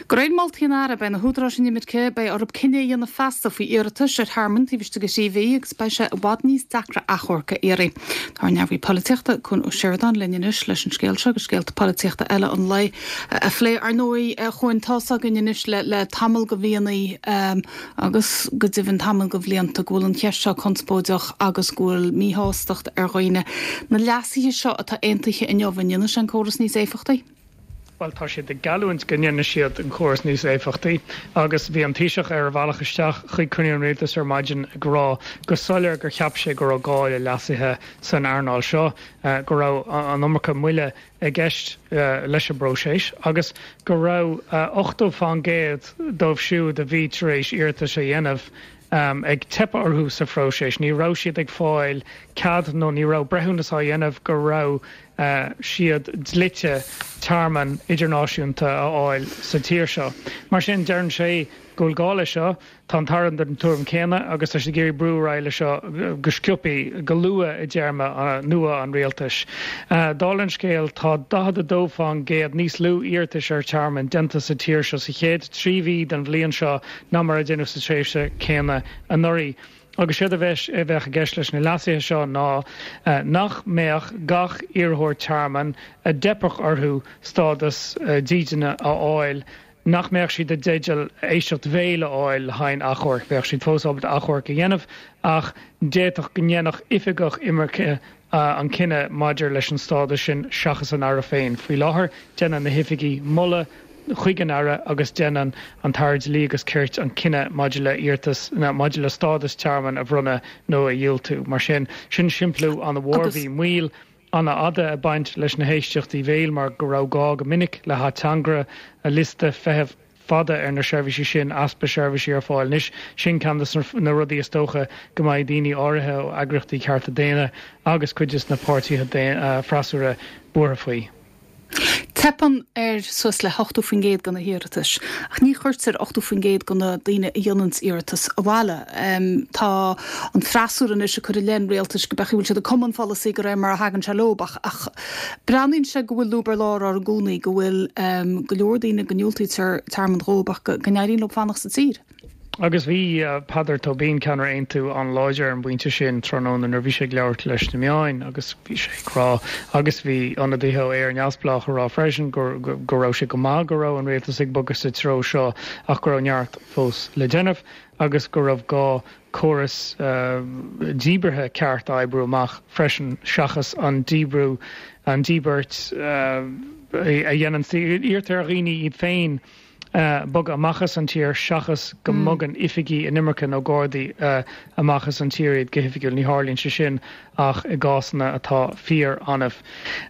S1: De réir moltaí an Aire, beidh na húdaráis inimirce, beidh orthu cinneadh a dhéanamh feasta faoi iarratais ar thearmann taobh istigh de thrí mhí agus beidh sé i bhfad níos deacra achomharc a iarraidh. Tá ár ndearbhaí polaitíochta, Cuan Ó Seireadáin, linn anois leis an scéal seo agus scéalta polaitíochta eile an lae a phlé. Ar ndóigh, a Chuain, tá's againn anois le tamall de mhíonna agus go deimhin tamall de bhlianta go bhfuil an cheist seo conspóideach agus go bhfuil míshástacht ar dhaoine. Na leasuithe seo atá aontaithe inniu, an ndéanfaidh sé an córas níos éifeachtaí?
S14: Bhuel, tá siad ag geallúint go ndéanfaidh siad an córas níos éifeachtaí agus bhí an Taoiseach ar a bhealach isteach chuig cruinniú an Rialtais ar maidin ag rá go soiléir gur cheap sé go raibh gá le leasuithe san earnáil seo, go raibh an iomarca moille i gceist leis an bpróiseas agus go raibh 80 fán gcéad dóibh siúd a bhí tar éis iarratas a dhéanamh ag teipeadh orthu sa phróiseas. Ní raibh siad ag fáil cead nó ní raibh breithiúnas á dhéanamh go raibh siad dlite tearmann idirnáisiúnta a fháil sa tír seo. Mar sin, deireann sé go bhfuil gá leis seo. Tá an tAire den tuairim céanna agus tá siad ag iarraidh brú ar aghaidh leis seo go sciobtha, go luath i dtéarma nua an rialtais. Dála an scéil, tá 42 fán gcéad níos lú iarratais ar tearmann déanta sa tír seo sa chéad 3 mhí den bhliain seo ná mar a deineadh sa tréimhse céanna anuraidh. Agus séard a bheas, a bheadh i gceist leis na leasuithe seo ná nach mbeadh gach iarrthóir tearmainn a dteipfeadh orthu stádas dídine a fháil, nach mbeadh siad i dteideal éisteacht bhéil a fháil le haghaidh an achomhairc. Bheadh siad fós ábalta achomharc a dhéanamh ach d'fhéadfadh go ndéanfadh oifigeach imirce an cinneadh maidir leis an stádas sin seachas an Aire féin. Faoi láthair, déanann na hoifigigh moladh chuig an Aire agus déanann an tAire Dlí agus Cirt an cinneadh maidir le hiarratas, maidir le stádas tearmainn a bhronnadh nó a dhiúltú. Mar sin, sin simpliú an-mhór. Bhí moill an-fhada ag baint leis na héisteachtaí bhéil mar go raibh gá go minic le hateangaire, liosta feithimh fada ar na seirbhísí sin, easpa seirbhísí ar fáil anois. Sin ceann de na rudaí is dócha go mbeidh daoine áirithe ó eagraíochtaí cearta daonna agus cuid de na páirtithe freasúra buartha faoi.
S1: Teipeann ar suas le 80% de na hiarratais, ach ní chuirtear 80% de na daoine a dhéananns iarratas abhaile. Tá an freasúra anois ag cur i leith an rialtais go b'fhéidir go bhfuil siad ag cumadh an pholasaí de réir mar a thagann sé leo ach Breathnaíonn sé go bhfuil lúb ar lár orainn i gcónaí, go bhfuil go leor daoine go ndiúltaítear tearmann dhóibh ach go n-éiríonn leo fanacht sa tír.
S14: Agus bhí Peadar Tóibín, ceannaire Aontú, an-láidir ar an bpointe sin tráthnóna nuair a bhí sé ag labhairt leis na meáin agus bhí sé ag rá, agus bhí ionadaithe ó Éire Neamhspleách ag rá freisin, go raibh sé go maith go raibh an rialtas ag bogadh sa treo seo ach go raibh neart fós le déanamh agus go raibh gá córas díbeartha ceart a oibriú amach freisin seachas an díbriú, an díbirt a dhéanann, iarrtar ar dhaoine iad féin bogadh amach as an tír seachas go mbogann oifigí inimirce nó gardaí amach as an tír iad go hoifigiúil. Ní tharlaíonn sé sin ach i gcásanna atá fíor-annamh.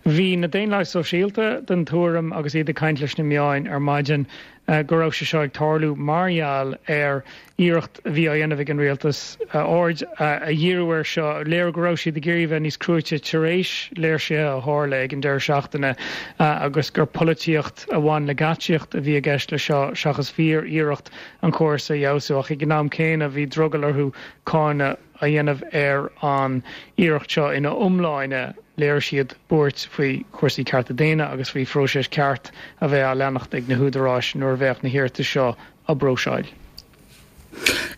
S14: Bhí na Daonlathaigh Sóisialta den tuairim agus iad ag caint leis na meáin ar maidin go raibh sé seo ag tarlú mar gheall ar iarracht a bhí á dhéanamh ag an rialtas aird a dhíriú air seo, léiriú go raibh siad ag iarraidh a bheith níos cruaite tar éis léirsithe a tharla ag an deireadh seachtaine agus gur polaitíocht a bhain le geáitsíocht a bhí i gceist leis seo seachas fíor-iarracht an córas a fheabhsú. Ach ag an am céanna bhí drogall orthu cáineadh a dhéanamh ar an iarracht seo ina iomláine. Léirigh siad buairt faoi chúrsaí cearta daonna agus faoi phróiseas ceart a bheith á leanacht ag na húdaráis nuair a bheadh na hiarratais seo á bpróiseáil.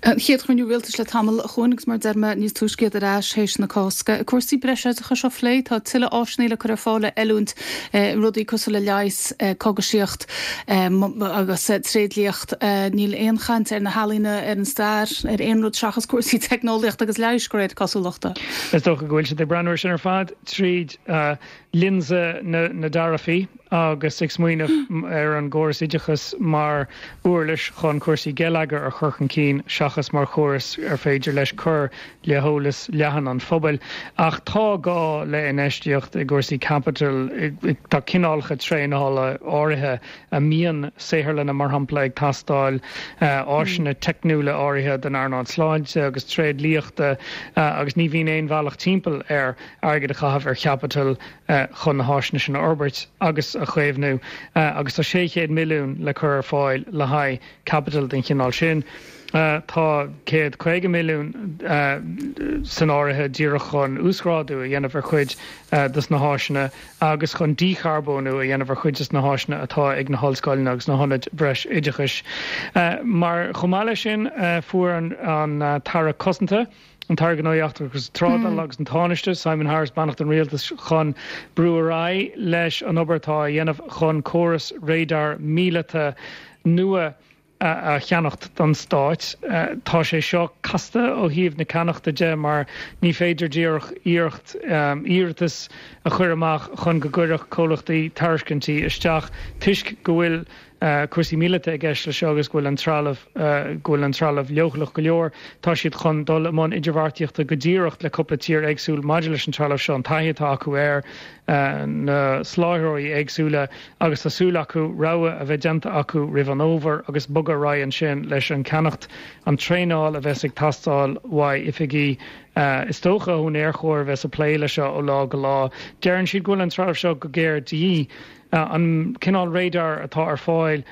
S1: An chéad chruinniú rialtais le tamall, a Chuain, agus mar a deir mé níos túisce iad ar ais théis na Cásca. Cúrsaí breisoideachais á phlé, tá tuilleadh áiseanna le cur ar fáil le oiliúint i rudaí cosúil le leigheas, cogaisíocht agus tréidliacht. Níl aon chaint ar na healaíona, ar an stair, ar aon rud seachas cúrsaí teicneolaíochta agus leighis, de réir cosúlachta.
S14: Is dócha go bhfuil siad ag breathnú air sin ar fad tríd lionsa na dtaraifí. agus ag smaoineamh ar an gcóras oideachais mar uirlis chun cúrsaí geilleagair a chur chun cinn seachas mar chóras ar féidir leis cur le heolas leathan an phobail. Ach tá gá le infheistíocht i gcúrsaí caipitil, tá cineálacha traenála áirithe a mbíonn saotharlanna, mar shampla, ag teastáil, áiseanna teicniúla áirithe don earnáil sláinte agus tréidliachta agus ní bhíonn aon bhealach timpeall ar airgead a chaitheamh ar chaipiteal chun na háiseanna sin a fhorbairt agus a chaomhnú agus tá 600 milliún le cur ar fáil le haghaidh caipiteal den chineál sin. Tá 150 milliún san áirithe díreach chun uasghrádú a dhéanamh ar chuid de na háiseanna agus chun dícharbónú a dhéanamh ar chuid de na háiseanna atá ag na hollscoileanna agus na hionaid bhreis-oideachais. Mar chomh maith leis sin fuair an tAire Cosanta, an tAire Gnóthaí Eachtracha agus Trádála agus an Tánaiste, Simon Harris, beannacht an Rialtais chun brú ar aghaidh leis an obair atá á dhéanamh chun córas radar míleata nua a cheannacht don Stát. Tá sé seo casta ó thaobh na ceannachta de mar ní féidir díreach iarracht iarratas a chur amach chun go gcuirfeadh comhlachtaí tairiscintí isteach toisc go bhfuil cúrsaí míleata i gceist leis seo agus go bhfuil an trealamh go bhfuil an trealamh leochaileach go leor. Tá siad chun dul i mbun idirbheartaíochta go díreach le cúpla tír éagsúil maidir leis an trealamh seo, an taithí atá acu air, na soláthróirí éagsúla agus tá súil acu rogha a bheith déanta acu roimh an fhómhar agus bogadh ar aghaidh ansin leis an ceannacht, an traenáil a bheas ag teastáil uaidh oifigigh is dócha ón Aerchór a bheas ag plé leis seo ó lá go lá. Deireann siad go bhfuil an trealamh seo go géar de dhíth. An cineál radar atá ar fáil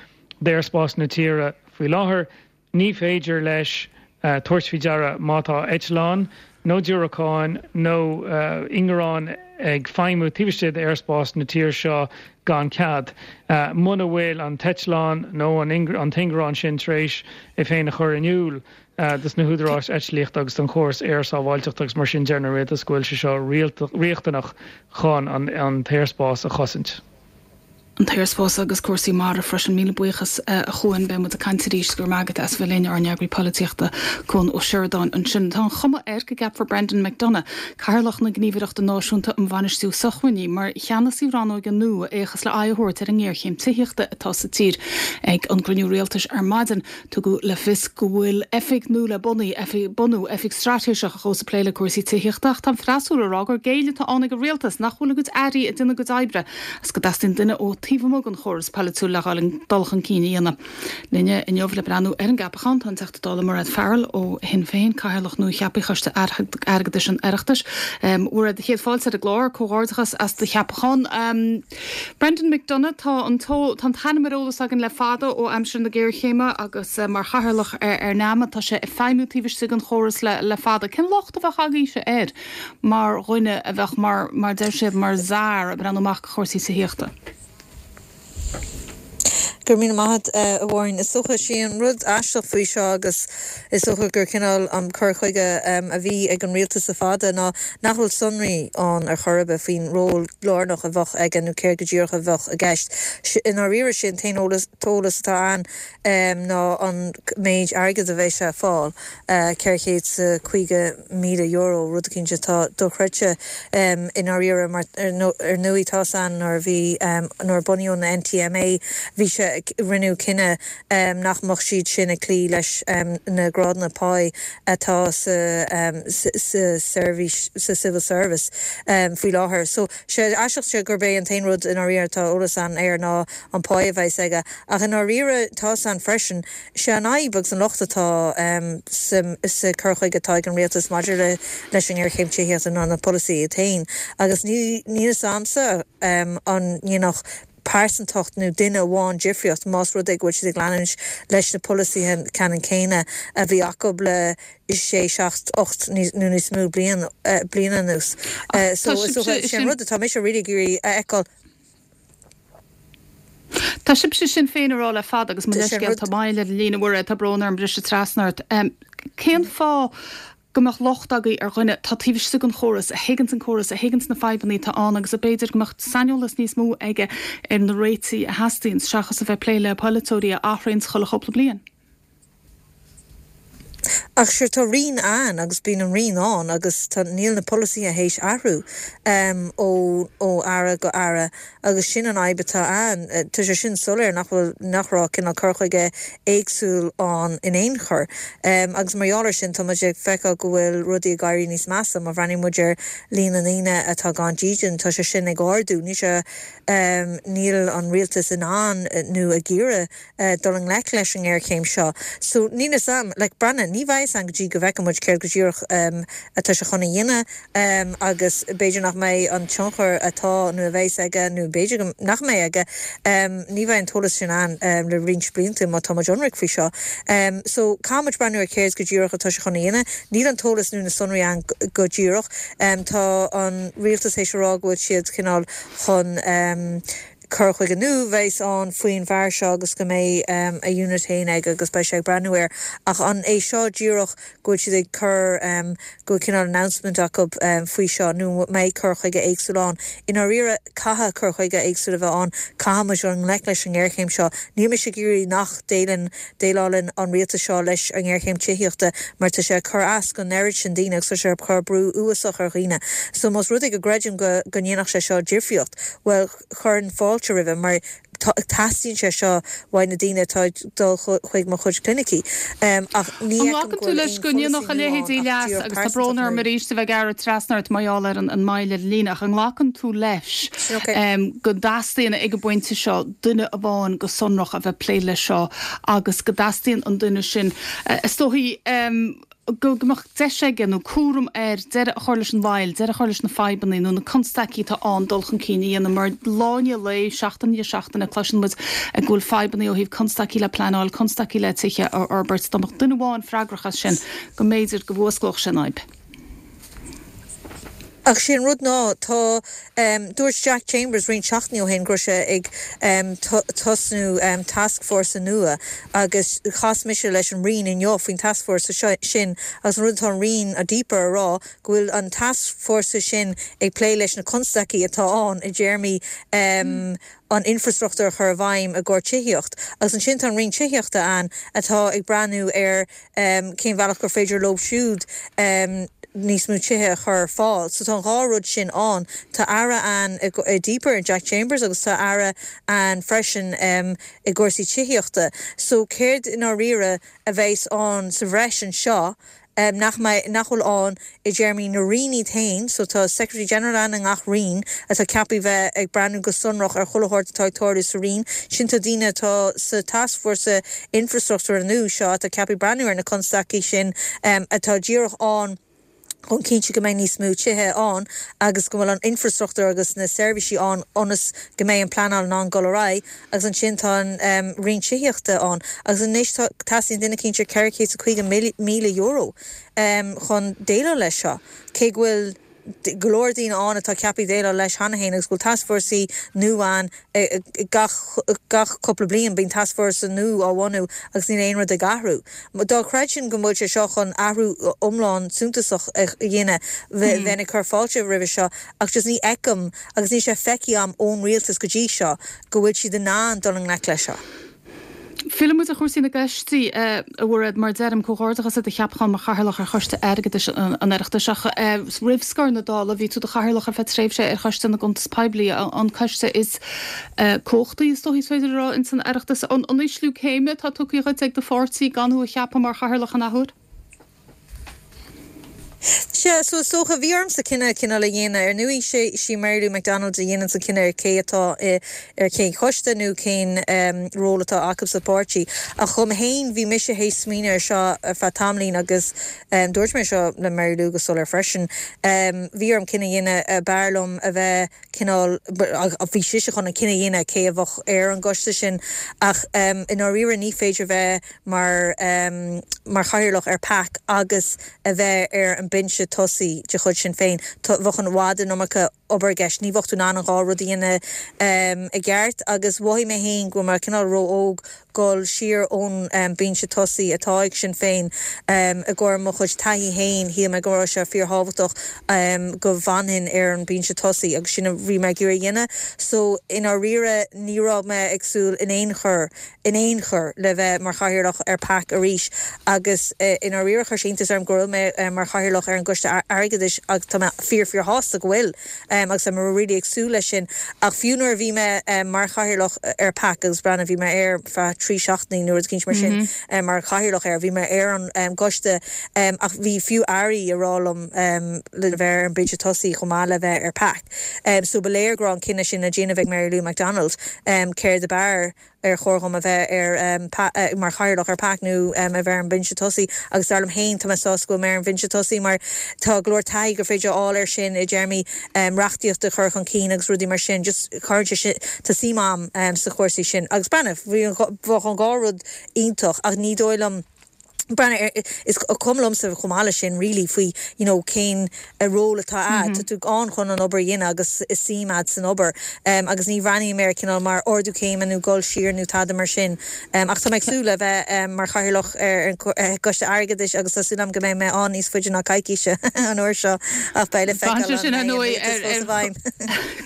S14: d'aerspás na tíre faoi láthair, ní féidir leis tabhairt faoi deara má tá eitleán nó diúracáin nó ingearán ag feidhmiú taobh istigh d'aerspás na tíre seo gan cead. Muna bhfuil an t-eitleán nó an t-ingearán sin tar éis é féin a chur in iúl dos na húdaráis eitlíochta agus don chóras aer-sábháilteachta agus mar sin deireann an rialtas go bhfuil sé seo riachtanach chun an t-aerspás a chosaint.
S1: An t-aerspás agus cúrsaí mara freisin. Míle buíochas a Chuain. Beidh muid ag caint arís. Go raibh maith agat as bheith linn, ár n-eagraí polaitíochta Cuan Ó Seireadáin ansin. Tá an chuma air go gceapfar Brendan McDonagh, Cathaoirleach na Gníomhaireachta Náisiúnta um Bhainistiú Sócmhainní, mar cheannasaí rannóige nua a fhéachas le aghaidh a thabhairt ar an ngéarchéim tithíochta atá sa tír. Ag an gcruinniú rialtais ar maidin, Tugadh le fios go bhfuil oifig nua le bunú, bunú, oifig straitéiseach a ghabhfas ag plé le cúrsaí tithíochta ach tá an freasúra ag rá gur géilleadh atá ann ag an rialtas nach bhfuil a gcuid airí ag déanamh a gcuid oibre agus go dteastaíonn duine ó taobh amuigh den chóras polaitiúil le dhul dul chun cinn a dhéanamh. Linne inniu le breathnú ar an gceapachán tá an Teachta Dála Mairéad Farrell ó Shinn Féin, Cathaoirleach nua-cheaptha Choiste Airgeadais an Oireachtais. A Mhairéad, chéad fáilte ar an gclár, comhghairdeachas as do cheapachán. Brendan McDonagh, Tá an t-ainm ar eolas againn le fada ó aimsir na géarchéime agus mar chathaoirleach ar NAMA tá sé ag feidhmiú taobh istigh den chóras le fada. Cén locht a bheadh agaibhse air mar dhuine a bheadh mar, mar deir siad, mar czar ag breathnú amach do chúrsaí tithíochta?
S15: Go raibh míle maith agat, a Mháirín. Is dócha, sé an rud aisteach faoi seo agus is dócha gur cineál an cur chuige a bhí ag an rialtas le fada ná nach bhfuil sonraí ann ar chor ar bith faoin ról lárnach a bheadh aige nó céard go díreach a bheadh i gceist. I ndáiríre, sé an t-aon eolas atá ann ná an méid airgid a bheidh sé ag fáil, €450,000, rud eicínt atá dochreidte i ndáiríre mar ar ndóigh tá's a'inn nuair a bhí, nuair a bunaíodh na NTMA bhí sé, rinneadh cinneadh nach mbeadh siad sin ag cloí leis na grádanna páí atá sa sa seirbhís, sa civil service faoi láthair. So sé aisteach sé gurb é an t-aon rud i ndáiríre atá eolas ann air ná an pá a bheas aige ach i ndáiríre tá's a'inn freisin Sé an fhadhb agus an locht atá sa cur chuige atá ag an rialtas maidir leis an ngéarchéim tithíochta ná na polasaithe iad féin agus níl fhios a'msa an ndéanfadh pearsantacht nó duine amháin difríocht más rud é go bhfuil siad ag leanúint leis na polasaithe ceannann céanna a bhí acu le sé, seacht, 8 nó níos mó bliain anuas. So is dócha, sé an rud atá mise really ag iarraidh a fheiceáil.
S1: Tá sibhse Sinn Féin ag rá le fada agus mo leithscéal tá moill ar an líne Mhairéad, tá brón orm briseadh trasna ort. Cén fáth go mbeadh locht agaibh ar dhuine atá taobh istigh den chóras, a thuigeanns an córas, a thuigeanns na fadhbanna atá ann agus a b'fhéidir go mbeadh saineolas níos mó aige ar na réitigh a theastaíonns seachas a bheith ag plé le polaiteoirí a athraíonns chuile chúpla bliain?
S15: Ach sure tá roinn ann agus bíonn an roinn ann agus tá, níl na polasaithe théis athrú ó ó aire go aire agus sin an fhadhb atá ann. Tá sé sin soiléir nach bhfuil, nach raibh cineál cur chuige éagsúil ann in aon chor. Agus mar gheall ar sin tá muid ag feiceáil go bhfuil rudaí ag éirí níos measa. Má bhreathnaíonn muid ar líon na ndaoine atá gan dídean tá sé sin ag ardú. Níl sé, níl an rialtas in ann nó ag iarraidh dul i ngleic leis an ngéarchéim seo. So, níl fhios a'm, like, breathnaigh, ní bheidh fhios a'm go dtí go bhfeicfidh muid céard go díreach atá sé chun a dhéanamh agus b'fhéidir nach mbeidh an tionchar atá nó a bheas aige nó b'fhéidir go nach mbeidh aige, ní bheidh an t-eolas sin ann le roinnt blianta má tá muid ionraic faoi seo. So, caithfidh muid breathnú ar céard go díreach atá sé chun a dhéanamh. Níl an t-eolas nó na sonraí ann go díreach. Tá an rialtas théis a rá go bhfuil siad cineál chun cur chuige nua a bheas ann faoin bhfear seo agus go mbeidh a unit féin aige agus beidh sé ag breathnú air. Ach an é seo díreach go bhfuil siad ag cur, go bhfuil cineál announcement acu faoi seo nó an mbeidh cur chuige éagsúil ann? I ndáiríre, caithfidh cur chuige éagsúil a bheith ann, caithfidh muid dul i ngleic leis an ngéarchéim seo. Níl mise ag iarraidh nach déileann, déileálann an rialtas seo leis an ngéarchéim tithíochta mar tá sé ag cur as don oiread sin daoine agus tá sé ag cur brú uafásach ar dhaoine. So más rud é go gcreidim go go ndéanfadh sé seo difríocht, bhuel chuirfinn fáilte roimhe mar teastaíonn sé seo uaidh na daoine atá ag dul chuig mo chuid clinicí. Ach ní
S1: An
S15: fheicim
S1: nglacann
S15: go
S1: tú
S15: bhfuil
S1: leis
S15: aon
S1: go
S15: pholasaí
S1: ndéanfadh a
S15: nua
S1: leithéid
S15: ann ach
S1: leas,
S15: díreach
S1: agus tá
S15: pearsantacht
S1: brón orm
S15: nua.
S1: arís a bheith ag gearradh trasna ort mar gheall ar an moill ar an líne, ach an nglacann tú leis
S15: Sin ok.
S1: go dteastaíonn ag an bpointe seo duine amháin go sonrach a bheith ag plé leis seo agus go dteastaíonn an duine sin, is dóichí, go mbeadh deis aige nó cúram air deireadh a chur leis an mhoill, deireadh a chur leis na fadhbanna nó na constaicí atá ann dul chun cinn a dhéanamh mar lá i ndiaidh lae, seachtain i ndiaidh seachtaine cloiseann muid go bhfuil fadhbanna ó thaobh constaicí le pleanáil, constaicí le tithe a fhorbairt. Dá mbeadh duine amháin freagrach as sin go mb'fhéidir go bhfuasclódh sé an fhadhb.
S15: Ach sé an rud ná, tá, dúirt Jack Chambers roinnt seachtainí ó shin go raibh sé ag tosnú tascfhórsa nua agus chas mise leis an Roinn inniu faoin tascfhórsa sin agus an rud atá an Roinn, DPAR, a rá go bhfuil an tascfhórsa sin ag plé leis na constaicí atá ann i dtéarmaí an infreastruchtúr a chur i bhfeidhm i gcomhair tithíocht. Agus ansin tá an Roinn Tithíochta ann atá ag breathnú ar cén bhealach gur féidir leo siúd níos mó tithe a chur ar fáil. So tá an dhá rud sin ann. Tá Aire ann i DPAR, Jack Chambers, agus tá Aire ann freisin i gcúrsaí tithíochta. So céard i ndáiríre a bheas ann sa bhreis anseo nach mbeidh, nach bhfuil ann i dtéarmaí na roinn iad féin, so tá Secretary General ann i ngach roinn atá ceaptha bheith ag breathnú go sonrach ar chuile shórt atá ag tarlú sa roinn sin, tá daoine atá sa tascfhórsa infreastruchtúir nua seo atá ceaptha breathnú ar na constaicí sin atá díreach ann chun cinntiú go mbeidh níos mó tithe ann agus go bhfuil an infreastruchtúr agus na seirbhísí ann ionas go mbeidh an pleanáil in ann dul ar aghaidh. Agus ansin tá an Roinn Tithíochta ann. Agus anois tá, teastaíonn duine eicínt ar €450,000 chun déileáil leis seo. Cé go bhfuil go leor daoine ann atá ceaptha déileáil leis cheana féin agus go bhfuil tascfhórsaí nua ann gach, gach cúpla bliain bíonn tascfhórsa nua á bhunú agus níl aon rud ag athrú. Dá chreidfinn go bhfuil sé seo chun athrú iomlán suntasach a dhéanamh bheinn ag cur fáilte roimhe seo ach just ní fheicim agus níl sé feicthe agam ón rialtas go dtí seo go bhfuil siad in ann dul i ngleic leis seo.
S1: Fillfidh muid ar chúrsaí na gcoistí, a Mhairéad, mar deirim, comhghairdeachas ar do cheapachán mar Chathaoirleach ar Choiste Airgeadais an Oireachtais. Ach roimh scor na Dála, bhí tú i do Chathaoirleach ar feadh tréimhse ar Choiste na gCuntas Poiblí, an coiste is cumhachtaí, is dóichí is féidir a rá, ins an Oireachtas. An ísliú céime atá tugtha dhuit ag do pháirtí gan thú a cheapadh mar Chathaoirleach an athuair?
S15: Sea, so is dócha, bhí ormsa cinneadh cineál a dhéanamh. Ar ndóigh, sé, sí Mary Lou McDonald a dhéananns an cinneadh ar cé atá i, ar cén choiste nó cén ról atá acu sa pháirtí. Ach dhom fhéin, bhí mise théis smaoineamh ar seo ar feadh tamaillín agus dúirt mé seo le Mary Lou go soiléir freisin, bhí orm cinneadh a dhéanamh, b'fhearr liom a bheith cineál, bhí sise chun an cinneadh a dhéanamh cé a bheadh ar an gcoiste sin ach i ndáiríre ní féidir bheith mar mar chathaoirleach ar PAC agus a bheith ar an binse tosaigh de chuid Sinn Féin. Bheadh i bhfad an iomarca obair i gceist. Ní bheadh tú in ann an dhá rud a dhéanamh i gceart agus mhothaigh mé féin go raibh mé cineál ró-óg. dhul siar ón mbinse tosaigh atá ag Sinn Féin. I gcomhair mo chuid taithí féin, shíl mé go raibh sé fíorthábhachtach go bhfanfainn ar an mbinse tosaigh agus sin a bhí mé ag iarraidh a dhéanamh. So, i ndáiríre, ní raibh mé ag súil in aon chor, in aon chor, le bheith mar chathaoirleach ar PAC arís agus i ndáiríre chuir sé iontas orm go bhfuil mé mar chathaoirleach ar an gCoiste Airgeadais agus tá mé fíor fíor shásta go bhfuil agus tá mé really ag súil leis sin. Ach fiú nuair a bhí mé mar chathaoirleach ar PAC agus breathnaigh bhí mé air feadh 3 seachtainí nó rud eicínt mar sin mar chathaoirleach air, bhí mé ar an gcoiste ach bhí fiú airí ag rá liom le bheith ar an mbinse tosaigh chomh maith le bheith ar PAC. So ba léir go raibh an cinneadh sin le déanamh ag Mary Lou McDonald céard ab fhearr. ar chóir dhom a bheith ar mar chathaoirleach ar PAC nó a bheith ar an mbinse tosaigh agus dar liom féin tá mé sásta go bhfuil mé ar an bhinse tosaigh mar tá go leor taithí gur féidir a fháil air sin i dtéarmaí reachtaíochta a chur chun cinn agus rudaí mar sin just cuireann sé sin tá suim a'm sa chúrsaí sin agus breathnaigh bhí an bheadh an dhá rud iontach ach ní dóigh liom Breathnaigh, is cuma liomsa chomh maith leis sin really faoi you know cén ról atá a'd. Tá tú ann chun an obair a dhéanamh agus is suim a'd san obair. Agus ní bhreathnaím air cineál mar ardú céime nó dul siar nó tada mar sin. Ach tá mé ag súil le bheith mar chathaoirleach ar an gCoiste Airgeadais agus tá súil a'm go mbeidh mé ann níos faide ná coicíse an uair seo ach beidh le feiceáil
S1: Braitheann sé sin ar ndóigh ar ar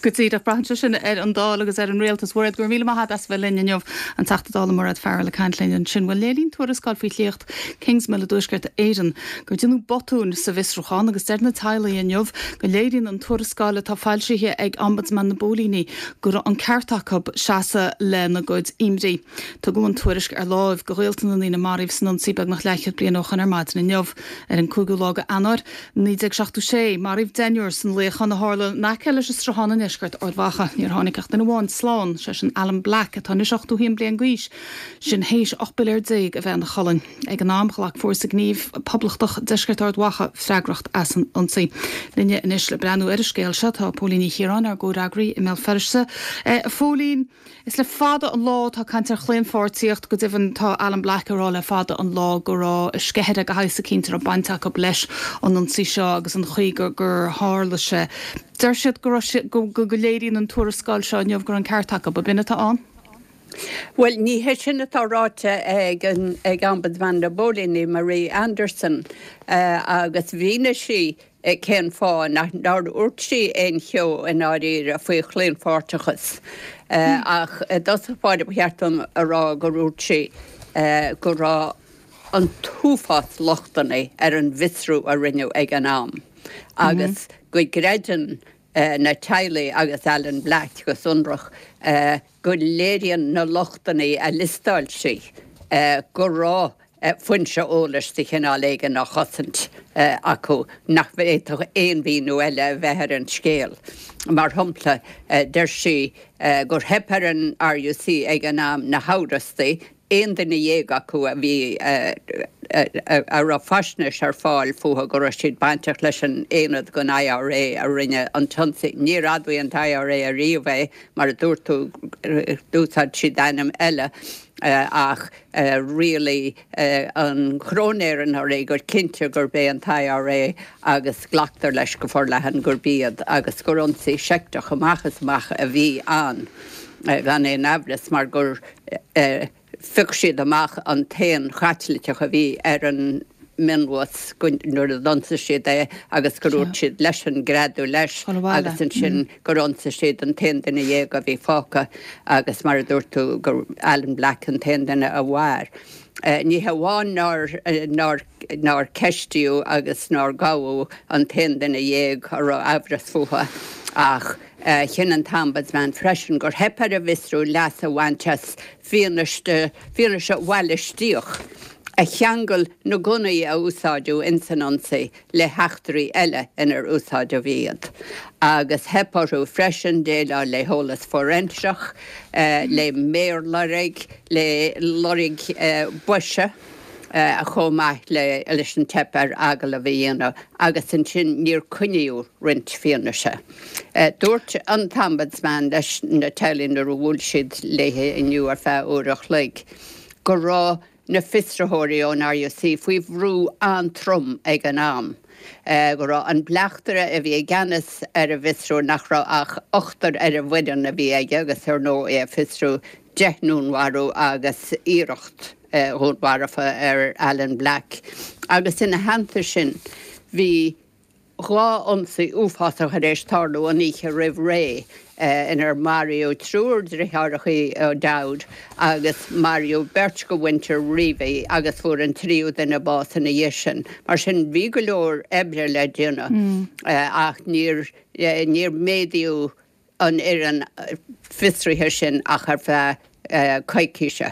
S1: go díreach braitheann sé sin ar an Dáil agus ar an Rialtas. Mhairéad, go raibh míle maith agat as a bheith linn inniu. An Teachta Dála Mairéad Farrell ag caint linn ansin. Bhuel, léiríonn tuarascáil faoi shliocht Kingsmill i dTuaisceart Éireann gur déanadh botúin sa bhfiosrúchán agus deir na teaghlaigh inniu go léiríonn an tuarascáil atá foilsithe ag Ombudsman na bPóilíní go raibh an ceart acu seasamh lena gcuid imní. Tugadh an tuairisc ar láimh do ghaolta na ndaoine a maraíodh san ionsaí beagnach leathchéad bliain ó shoin ar maidin inniu. Ar an 5ú lá de Eanáir, 1976, maraíodh deichniúr san luíochán a tharla in aice leis an Sruthán i ndeisceart Ard Mhacha. Níor tháinig ach duine amháin slán, sé sin Alan Black, atá anois 81 bliain d'aois, sin théis 18 bpiléar a bheith ina cholainn. Ag an am, ghlac Fórsa Gnímh Poblachtach Deisceart Ard Mhacha freagracht as an ionsaí. Linne anois le breathnú ar an scéal seo tá Póilín Ní Chiaráin, ár gcomhfhreagraí i mBéal Feirste. A Phóilín. Is le fada an lá atá caint ar chlaonpháirtíocht, go deimhin tá Alan Black ag rá le fada an lá go raibh sceithire de shaghas eicínt a raibh baint acu leis an ionsaí seo agus an chaoi gur gur tharla sé. Deir siad go raibh sé go go léiríonn an tuarascáil seo inniu go raibh an ceart acu. Ab in atá ann?
S16: Bhuel, ní hé sin atá ráite ag an ag Ombudsman na bPóilíní, Marie Anderson, agus mhínigh sí cén fáth nach nár dhúirt sí aon cheo i ndáiríre faoi chlaonpháirteachas. Ach i dtosach báire ba cheart dom a rá gur dhúirt sí go raibh an t-uafás lochtanna ar an bhfiosrú a rinneadh ag an am agus go gcreideann na teaghlaigh agus Alan Black go sonrach go léiríonn na lochtanna a liostáil sí go raibh foinse eolais de chineál éigin á chosaint acu nach bhféadfadh aon mhíniú eile a bheith ar an scéal. Mar shampla, deir sí gur theip ar an RUC ag an am na hamhrastaigh, aon duine dhéag acu a bhí a raibh faisnéis ar fáil fúthu go raibh siad bainteach leis an aonad den IRA a rinne an t-ionsaí. Níor admhaigh an t-IRA ariamh é, mar a dúirt tú, d'úsáid siad ainm eile ach rialaigh an Chróinéir anuraidh gur cinnte gurb é an t-IRA agus glactar leis go forleathan gurb iad agus gur ionsaí seicteach amach is amach a bhí ann gan aon amhras mar gur phioc siad amach an t-aon Chaitliceach a bhí ar an mionbhus nuair a d'ionsaigh siad é agus gur dhúirt siad leisean greadadh leis agus ansin gur ionsaigh siad an t-aon duine dhéag a bhí fágtha agus mar a dúirt tú gur Alan Black an t-aon duine a mhair. Ní hamháin nár nár nár ceistíodh agus nár gabhadh an t-aon duine dhéag a raibh amhras fúthu ach chinn an tOmbudsman freisin gur theip ar an bhfiosrú leas a bhaint as fianaise bhalaistíoch a cheangail na gunnaí a úsáideadh ins an ionsaí le heachtraí eile inar úsáideadh iad, agus theip orthu freisin déileáil le heolas fóiréinseach, le méarloirg, le loirg boise, chomh maith leis an teip ar agallamh a dhéanamh, agus ansin níor coinníodh roinnt fianaise. Dúirt an tOmbudsman leis na teaghlaigh nuair a bhuail siad léi inniu ar feadh uair a chloig go raibh na fiosraitheoirí ón RUC faoi bhrú an-trom ag an am, go raibh an bleachtaire a bhí i gceannas ar an bhfiosrú, nach raibh ach ochtar ar an bhfoireann a bhí aige agus ar ndóigh é a fiosrú. 10 ndúnmharú agus iarracht dhúnmharfa ar Alan Black agus ina theannta sin bhí 2 ionsaí uafásach tar éis tarlú an oíche roimh ré inar maraíodh triúr deartháireacha O'Dowd agus maraíodh beirt de mhuintir Reavey agus fuair an tríú duine bás ina dhiaidh sin. Mar sin bhí go leor oibre le déanamh ach níor níor méadaíodh an fhoireann fiosraithe sin ach ar feadh coicíse.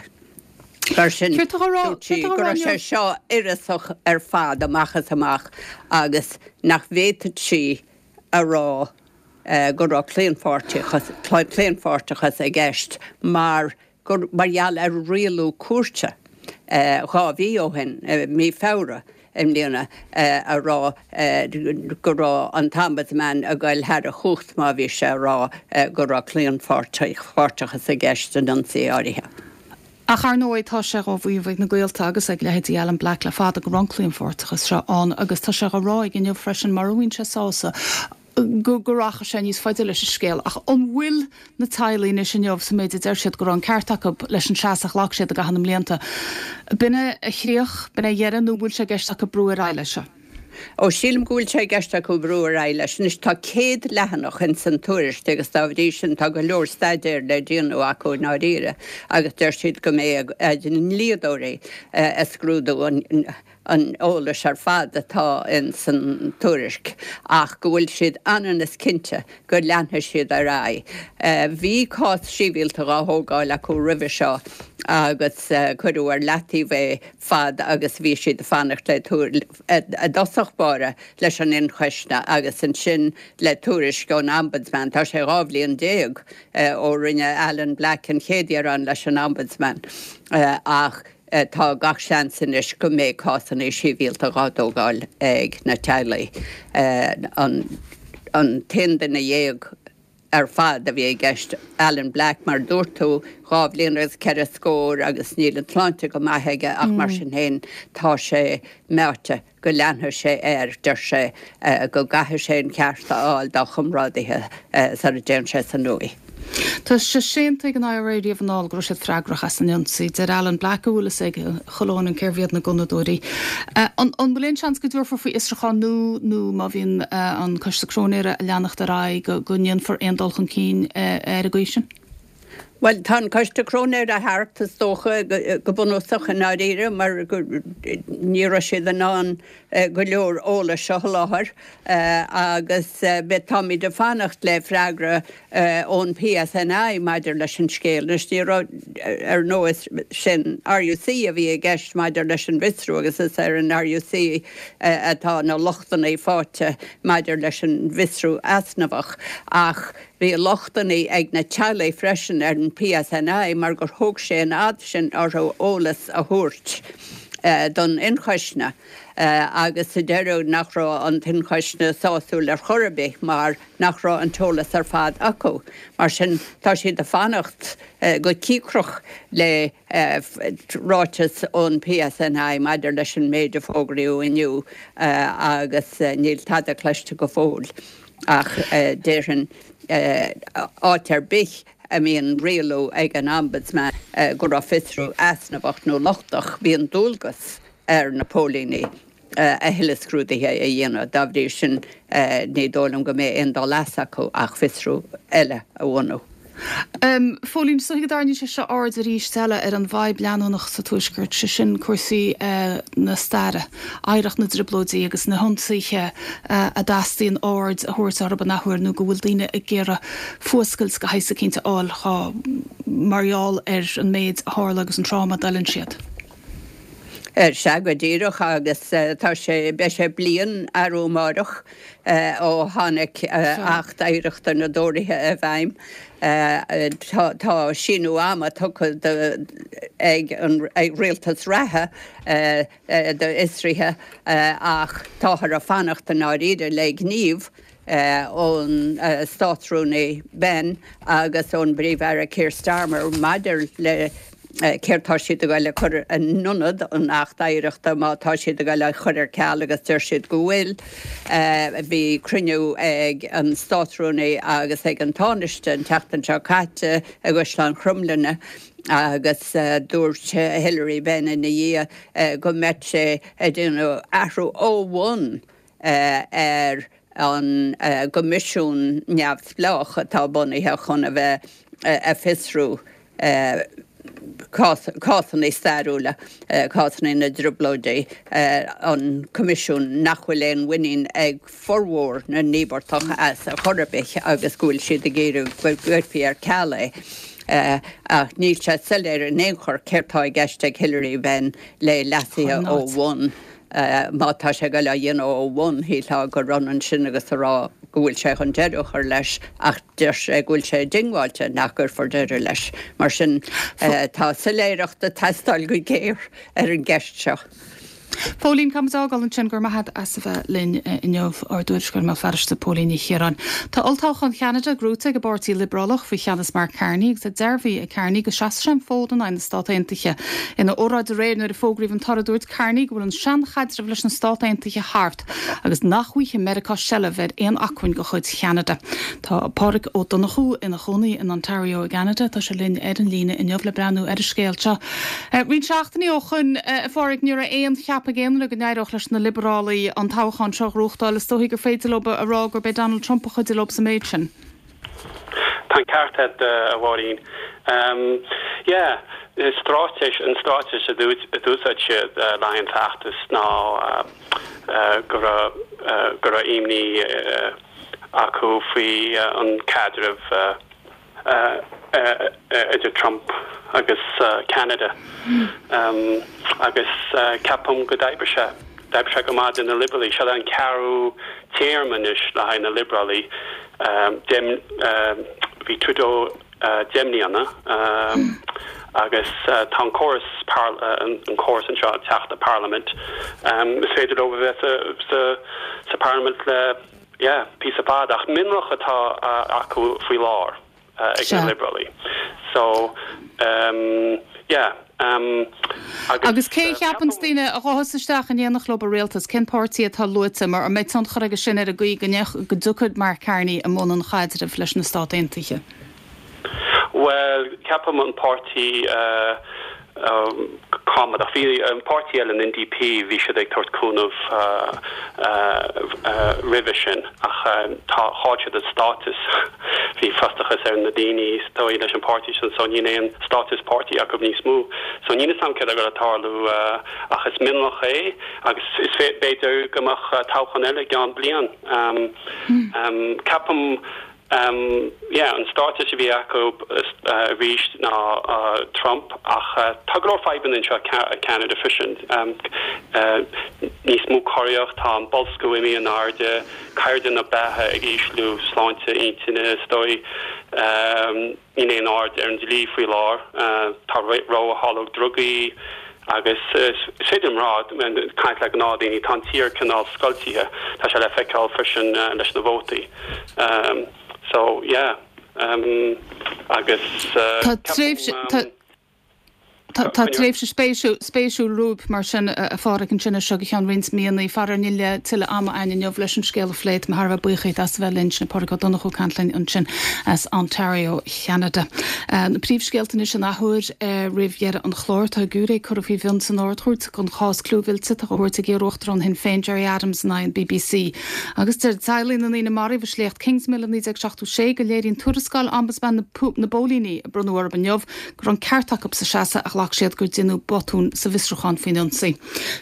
S16: Mar sin, dúirt sí go raibh sé seo uireasach ar fad amach is amach agus nach bhféadfadh sí a rá go raibh claonpháirteachas i gceist mar gur mar gheall ar rialú cúirte 2 mhí ó shin, mí Feabhra i mbliana, a rá go raibh an tOmbudsman ag goil thar a chumhacht má bhí sé a rá go raibh claonpháirteachas i gceist in ionsaí áirithe.
S1: Ach ar ndóigh tá sé dhá mhaíomh ag na gaolta agus ag leithéidí Alan Black le fada go raibh an claonpháirteachas seo ann agus tá sé dhá rá aige inniu freisin mura bhfaigheann sé sásamh go go rachaidh sé níos faide leis an scéal. Ach an bhfuil na teaghlaigh anois inniu sa méid a deir siad go raibh an ceart acu leis an seasamh a ghlac siad i gcaitheamh na mblianta, b'in é a chríoch, b'in é a dheireadh nó an bhfuil sé i gceist acu brú ar aghaidh leis seo?
S16: Ó, sílim go bhfuil sé i gceist acu brú ar aghaidh leis. Anois tá 100 leathanach ins an tuairisc agus dá bhrí sin tá go leor staidéir le déanamh acu i ndáiríre agus deir siad go mbeidh a ndlíodóirí ag scrúdú an an eolais ar fad atá ins an tuairisc ach go bhfuil siad ionann is cinnte go leanfaidh siad ar aghaidh. Bhí cás sibhialta dhá thógáil acu roimhe seo agus cuireadh ar leataobh é fad agus bhí siad ag fanacht le i dtosach báire leis an ionchoisne agus ansin le tuairisc ón Ombudsman. Tá sé 12 bhliain ó rinne Alan Black an chéad ghearán leis an Ombudsman ach Tá gach seans anois go mbeidh cásanna sibhialta dhá dtógáil ag na teaghlaigh. An t-aon duine dhéag ar fad a bhí i gceist, Alan Black, mar a dúirt tú, 2 bhliain agus ceithre scór agus níl an tsláinte go maith aige ach mar sin féin tá sé meáite. go leanfaidh sé air, deir sé go gcaithfidh sé an ceart a fháil dá chomrádaithe sara dtéann sé san uaigh.
S1: Tá sé séanta ag an IRA riamh anall go raibh siad freagrach as an ionsaí. Deir Alan Black go bhfuil fhios ag chuile dhuine cérbh iad na gunnadóirí. An bhfuil aon seans go dtabharfar faoi fhiosrúchán nua nó má bhíonn an Coiste Cróinéara ag leanacht ar aghaidh go ndéanfar aon dul chun cinn ar an gcaoi sin?
S16: Bhuel, tá an Coiste Cróinéara thart, is dócha, go bunúsach i ndáiríre, mar ní raibh siad in ann go leor eolais a sholáthar agus táimid ag fanacht le freagra ón PSNI maidir leis an scéal. Anois, ní raibh, ar ndóigh, sin RUC a bhí i gceist maidir leis an bhfiosrú agus is ar an RUC atá na lochtanna faighte maidir leis an bhfiosrú easnamhach ach Bhí lochtanna ag na teaghlaigh freisin ar an PSNI mar gur thóg sé an fhad sin orthu eolas a thabhairt don ionchoisne agus sa deireadh nach raibh an t-ionchoisne sásúil ar chor ar bith mar nach raibh an t-eolas ar fad acu. Mar sin tá siad ag fanacht go cíocrach le ráiteas ón PSNI maidir leis an méid a fógraíodh inniu agus níl tada cloiste go fóill. Ach déarfainn, áit ar bith a mbíonn rialú ag an Ombudsman go raibh fiosrú easnamhach nó lochtach, bíonn dualgas ar na póilíní a thuilleadh scrúdaithe a dhéanamh. Dá bhrí sin, ní dóigh liom go mbeidh aon dul as acu ach fiosrú eile a bhunú.
S1: Phóilín, is dóigh go dtarraingíonn sé seo aird arís eile ar an bhfadhb leanúnach sa Tuaisceart, sé sin cúrsaí na staire, oidhreacht na dTrioblóidí agus na hionsaithe a dteastaíonn aird a thabhairt orthu an athuair nó go bhfuil daoine ag iarraidh fuascailt de shaghas eicínt a fháil mar gheall ar an méid a tharla agus an tráma a d'fhulaing siad.
S16: Sea, go díreach, agus tá sé, beidh sé bliain arú amáireach ó tháinig Acht Oidhreachta na dTóraithe i bhfeidhm. Tá síneadh ama tugtha ag an rialtas reatha d'fhiosruithe ach táthar ag fanacht i ndáiríre le gníomh ón Státrúnaí Benn agus ón bPríomh-Aire Keir Starmer maidir le. céard tá siad ag goil a chur in ionad an Acht Oidhreachta má tá siad ag goil á chur ar ceal agus deir siad go bhfuil. Bhí cruinniú ag an Státrúnaí agus ag an Tánaiste an tseachtain seo caite i gCaisleán Chromghlinne agus dúirt Hilary Benn ina dhiaidh go mbeadh sé ag déanamh athrú ó bhun ar an gcoimisiún neamhspleách atá bunaithe chun a bheith ag fiosrú cásanna stairiúla, cásanna na dTrioblóidí, an coimisiún nach bhfuil aon mhuinín ag formhór na n-íobartach as ar chor ar bith agus go bhfuil siad ag iarraidh go gcuirfí ar ceal é. Ach níl sé soiléir in aon chor céard tá i gceist ag Hilary Benn le leasuithe ó bhun. Má tá sé ag goil á dhéanamh ó bhun, shílfeá gur ionann sin agus a rá go bhfuil sé chun deireadh a chur leis, ach deir sé go bhfuil sé diongbháilte nach gcuirfear deireadh leis. Mar sin, tá soiléireacht ag teastáil go géar ar an gceist seo.
S1: Póilín, Caithfidh muid a fhágáil ansin. Go raibh maith agat as a bheith linn inniu, ár dtuairisceoir i mBéal Feirste, Póilín Ní Chiaráin. Tá olltoghchán Cheanada gnóthaithe ag an bPáirtí Liobrálach faoi cheannas Mark Carney agus é dearbhaithe ag Carney go seasfaidh sé an fód in aghaidh na Stát Aontaithe. Ina óráid aréir nuair a fógraíodh an toradh dúirt Carney go bhfuil an seanchaidreamh leis na Stát Aontaithe thart agus nach bhfaighidh Meiriceá seilbh ar aon acmhainn de chuid Cheanada. Tá Pádraig Ó Donnchú ina chónaí in Ontario i gCeanada. Tá sé linn ar an líne inniu le breathnú ar an scéal seo. Roinnt seachtainí ó shoin, a Phádraig, ní raibh aon cheapadh ag aon duine go n-éireodh leis na Liobrálaigh an toghchán seo a ghnóthachtáil. Is dóichí gur féidir leo a rá gurb é Donald Trump a chuidigh leo sa méid sin.
S17: Tá an ceart agat, a Mháirín. Yeah, straitéis, an straitéis a d'úsáid siad le haghaidh an feachtas ná go raibh, go raibh imní acu faoi an caidreamh idir Trump agus Ceanada agus ceapaim go d'oibrigh sé, d'oibrigh sé go maith do na Liobrálaigh. Seo an ceathrú téarma anois le haghaidh na Liobrálaigh. Bhí Trudeau 10 mbliana agus tá an córas, an córas anseo ag teacht i Parlaimint, is féidir leo a bheith sa Parlaimint le Yeah, píosa fada, ach mionlach atá acu faoi láthair ag na Liobrálaigh. So, yeah,
S1: agus. Agus cé a cheapann daoine a ghabhfas isteach in éineacht leo i rialtas? Cén páirtí atá luaite? Mar an mbeidh tionchar aige sin ar an gcaoi go dtiocfaidh Mark Carney i mbun an chaidrimh leis na Stát Aontaithe?
S17: Bhuel, ceapaim an páirtí Coimeádach. Bhí an páirtí eile, an NDP, bhí siad ag tabhairt cúnamh roimhe sin ach tá, chaill siad a státus. Bhí frustrachas ar na daoine is dóigh leis an páirtí sin so níl aon státus páirtí acu níos mó. So níl 'fhios a'm céard atá ag goil a tarlú ach is mionlach é agus is b'fhéidir go mbeadh toghchán eile i gceann bliain. Ceapaim Yeah, an straitéis a bhí acu arís ná Trump ach tá go leor fadhbanna anseo i Ceanada freisin. Níos mó coireacht, tá an boilsciú imithe in airde, caighdeán na beatha ag ísliú, sláinte intinne is dóigh. Níl aon ord ar an dlí faoi láthair. Tá ródháileadh drugaí agus is féidir liom rá, caint le gnáthdaoine, tá an tír cineál scoiltithe. Tá sé le feiceáil freisin leis na vótaí. So, yeah. Agus
S1: Tá tréimhse. Tá tréimhse spéisiúil romhaibh mar sin, a Phádraig, ansin as seo go ceann roinnt míonna. Faraor níl tuilleadh ama againn inniu leis an scéal a phlé. Tá mé thar a bheith buíoch díot as a bheith linn. Sin é Pádraig Ó Donnchú ag caint linn ansin as Ontario, Cheanada. Na príomhscéalta anois an athuair roimh dheireadh an chláir. Tá giúiré curtha faoi mhionn san Ard-Chúirt don chás clúmhillte atá á thabhairt ag iar-uachtarán Shinn Féin Gerry Adams in aghaidh an bbc. Agus deir teaghlaigh na ndaoine a maraíodh i sléacht Kingsmill i 1976 go léiríonn tuarascáil Ombudsman na bPóilíní a bronnadh orthu inniu go raibh an ceart acu sa seasamh a ghlac siad gur deineadh botún sa bhfiosrúchán faoin ionsaí.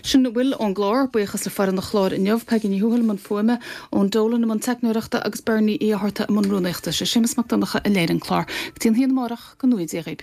S1: Sin a bhfuil ón gclár. Buíochas le foireann an chláir inniu, Peigí Ní Thuathail i mbun fuaime, Eoin Dolan i mbun teicneoireachta agus Bernie Uí Fhátharta i mbun rúnaíochta. Sé Séamus Mac Donncha a léirigh an clár. Go dtí an haon amárach, go ngnóthaí Dia dhaoib.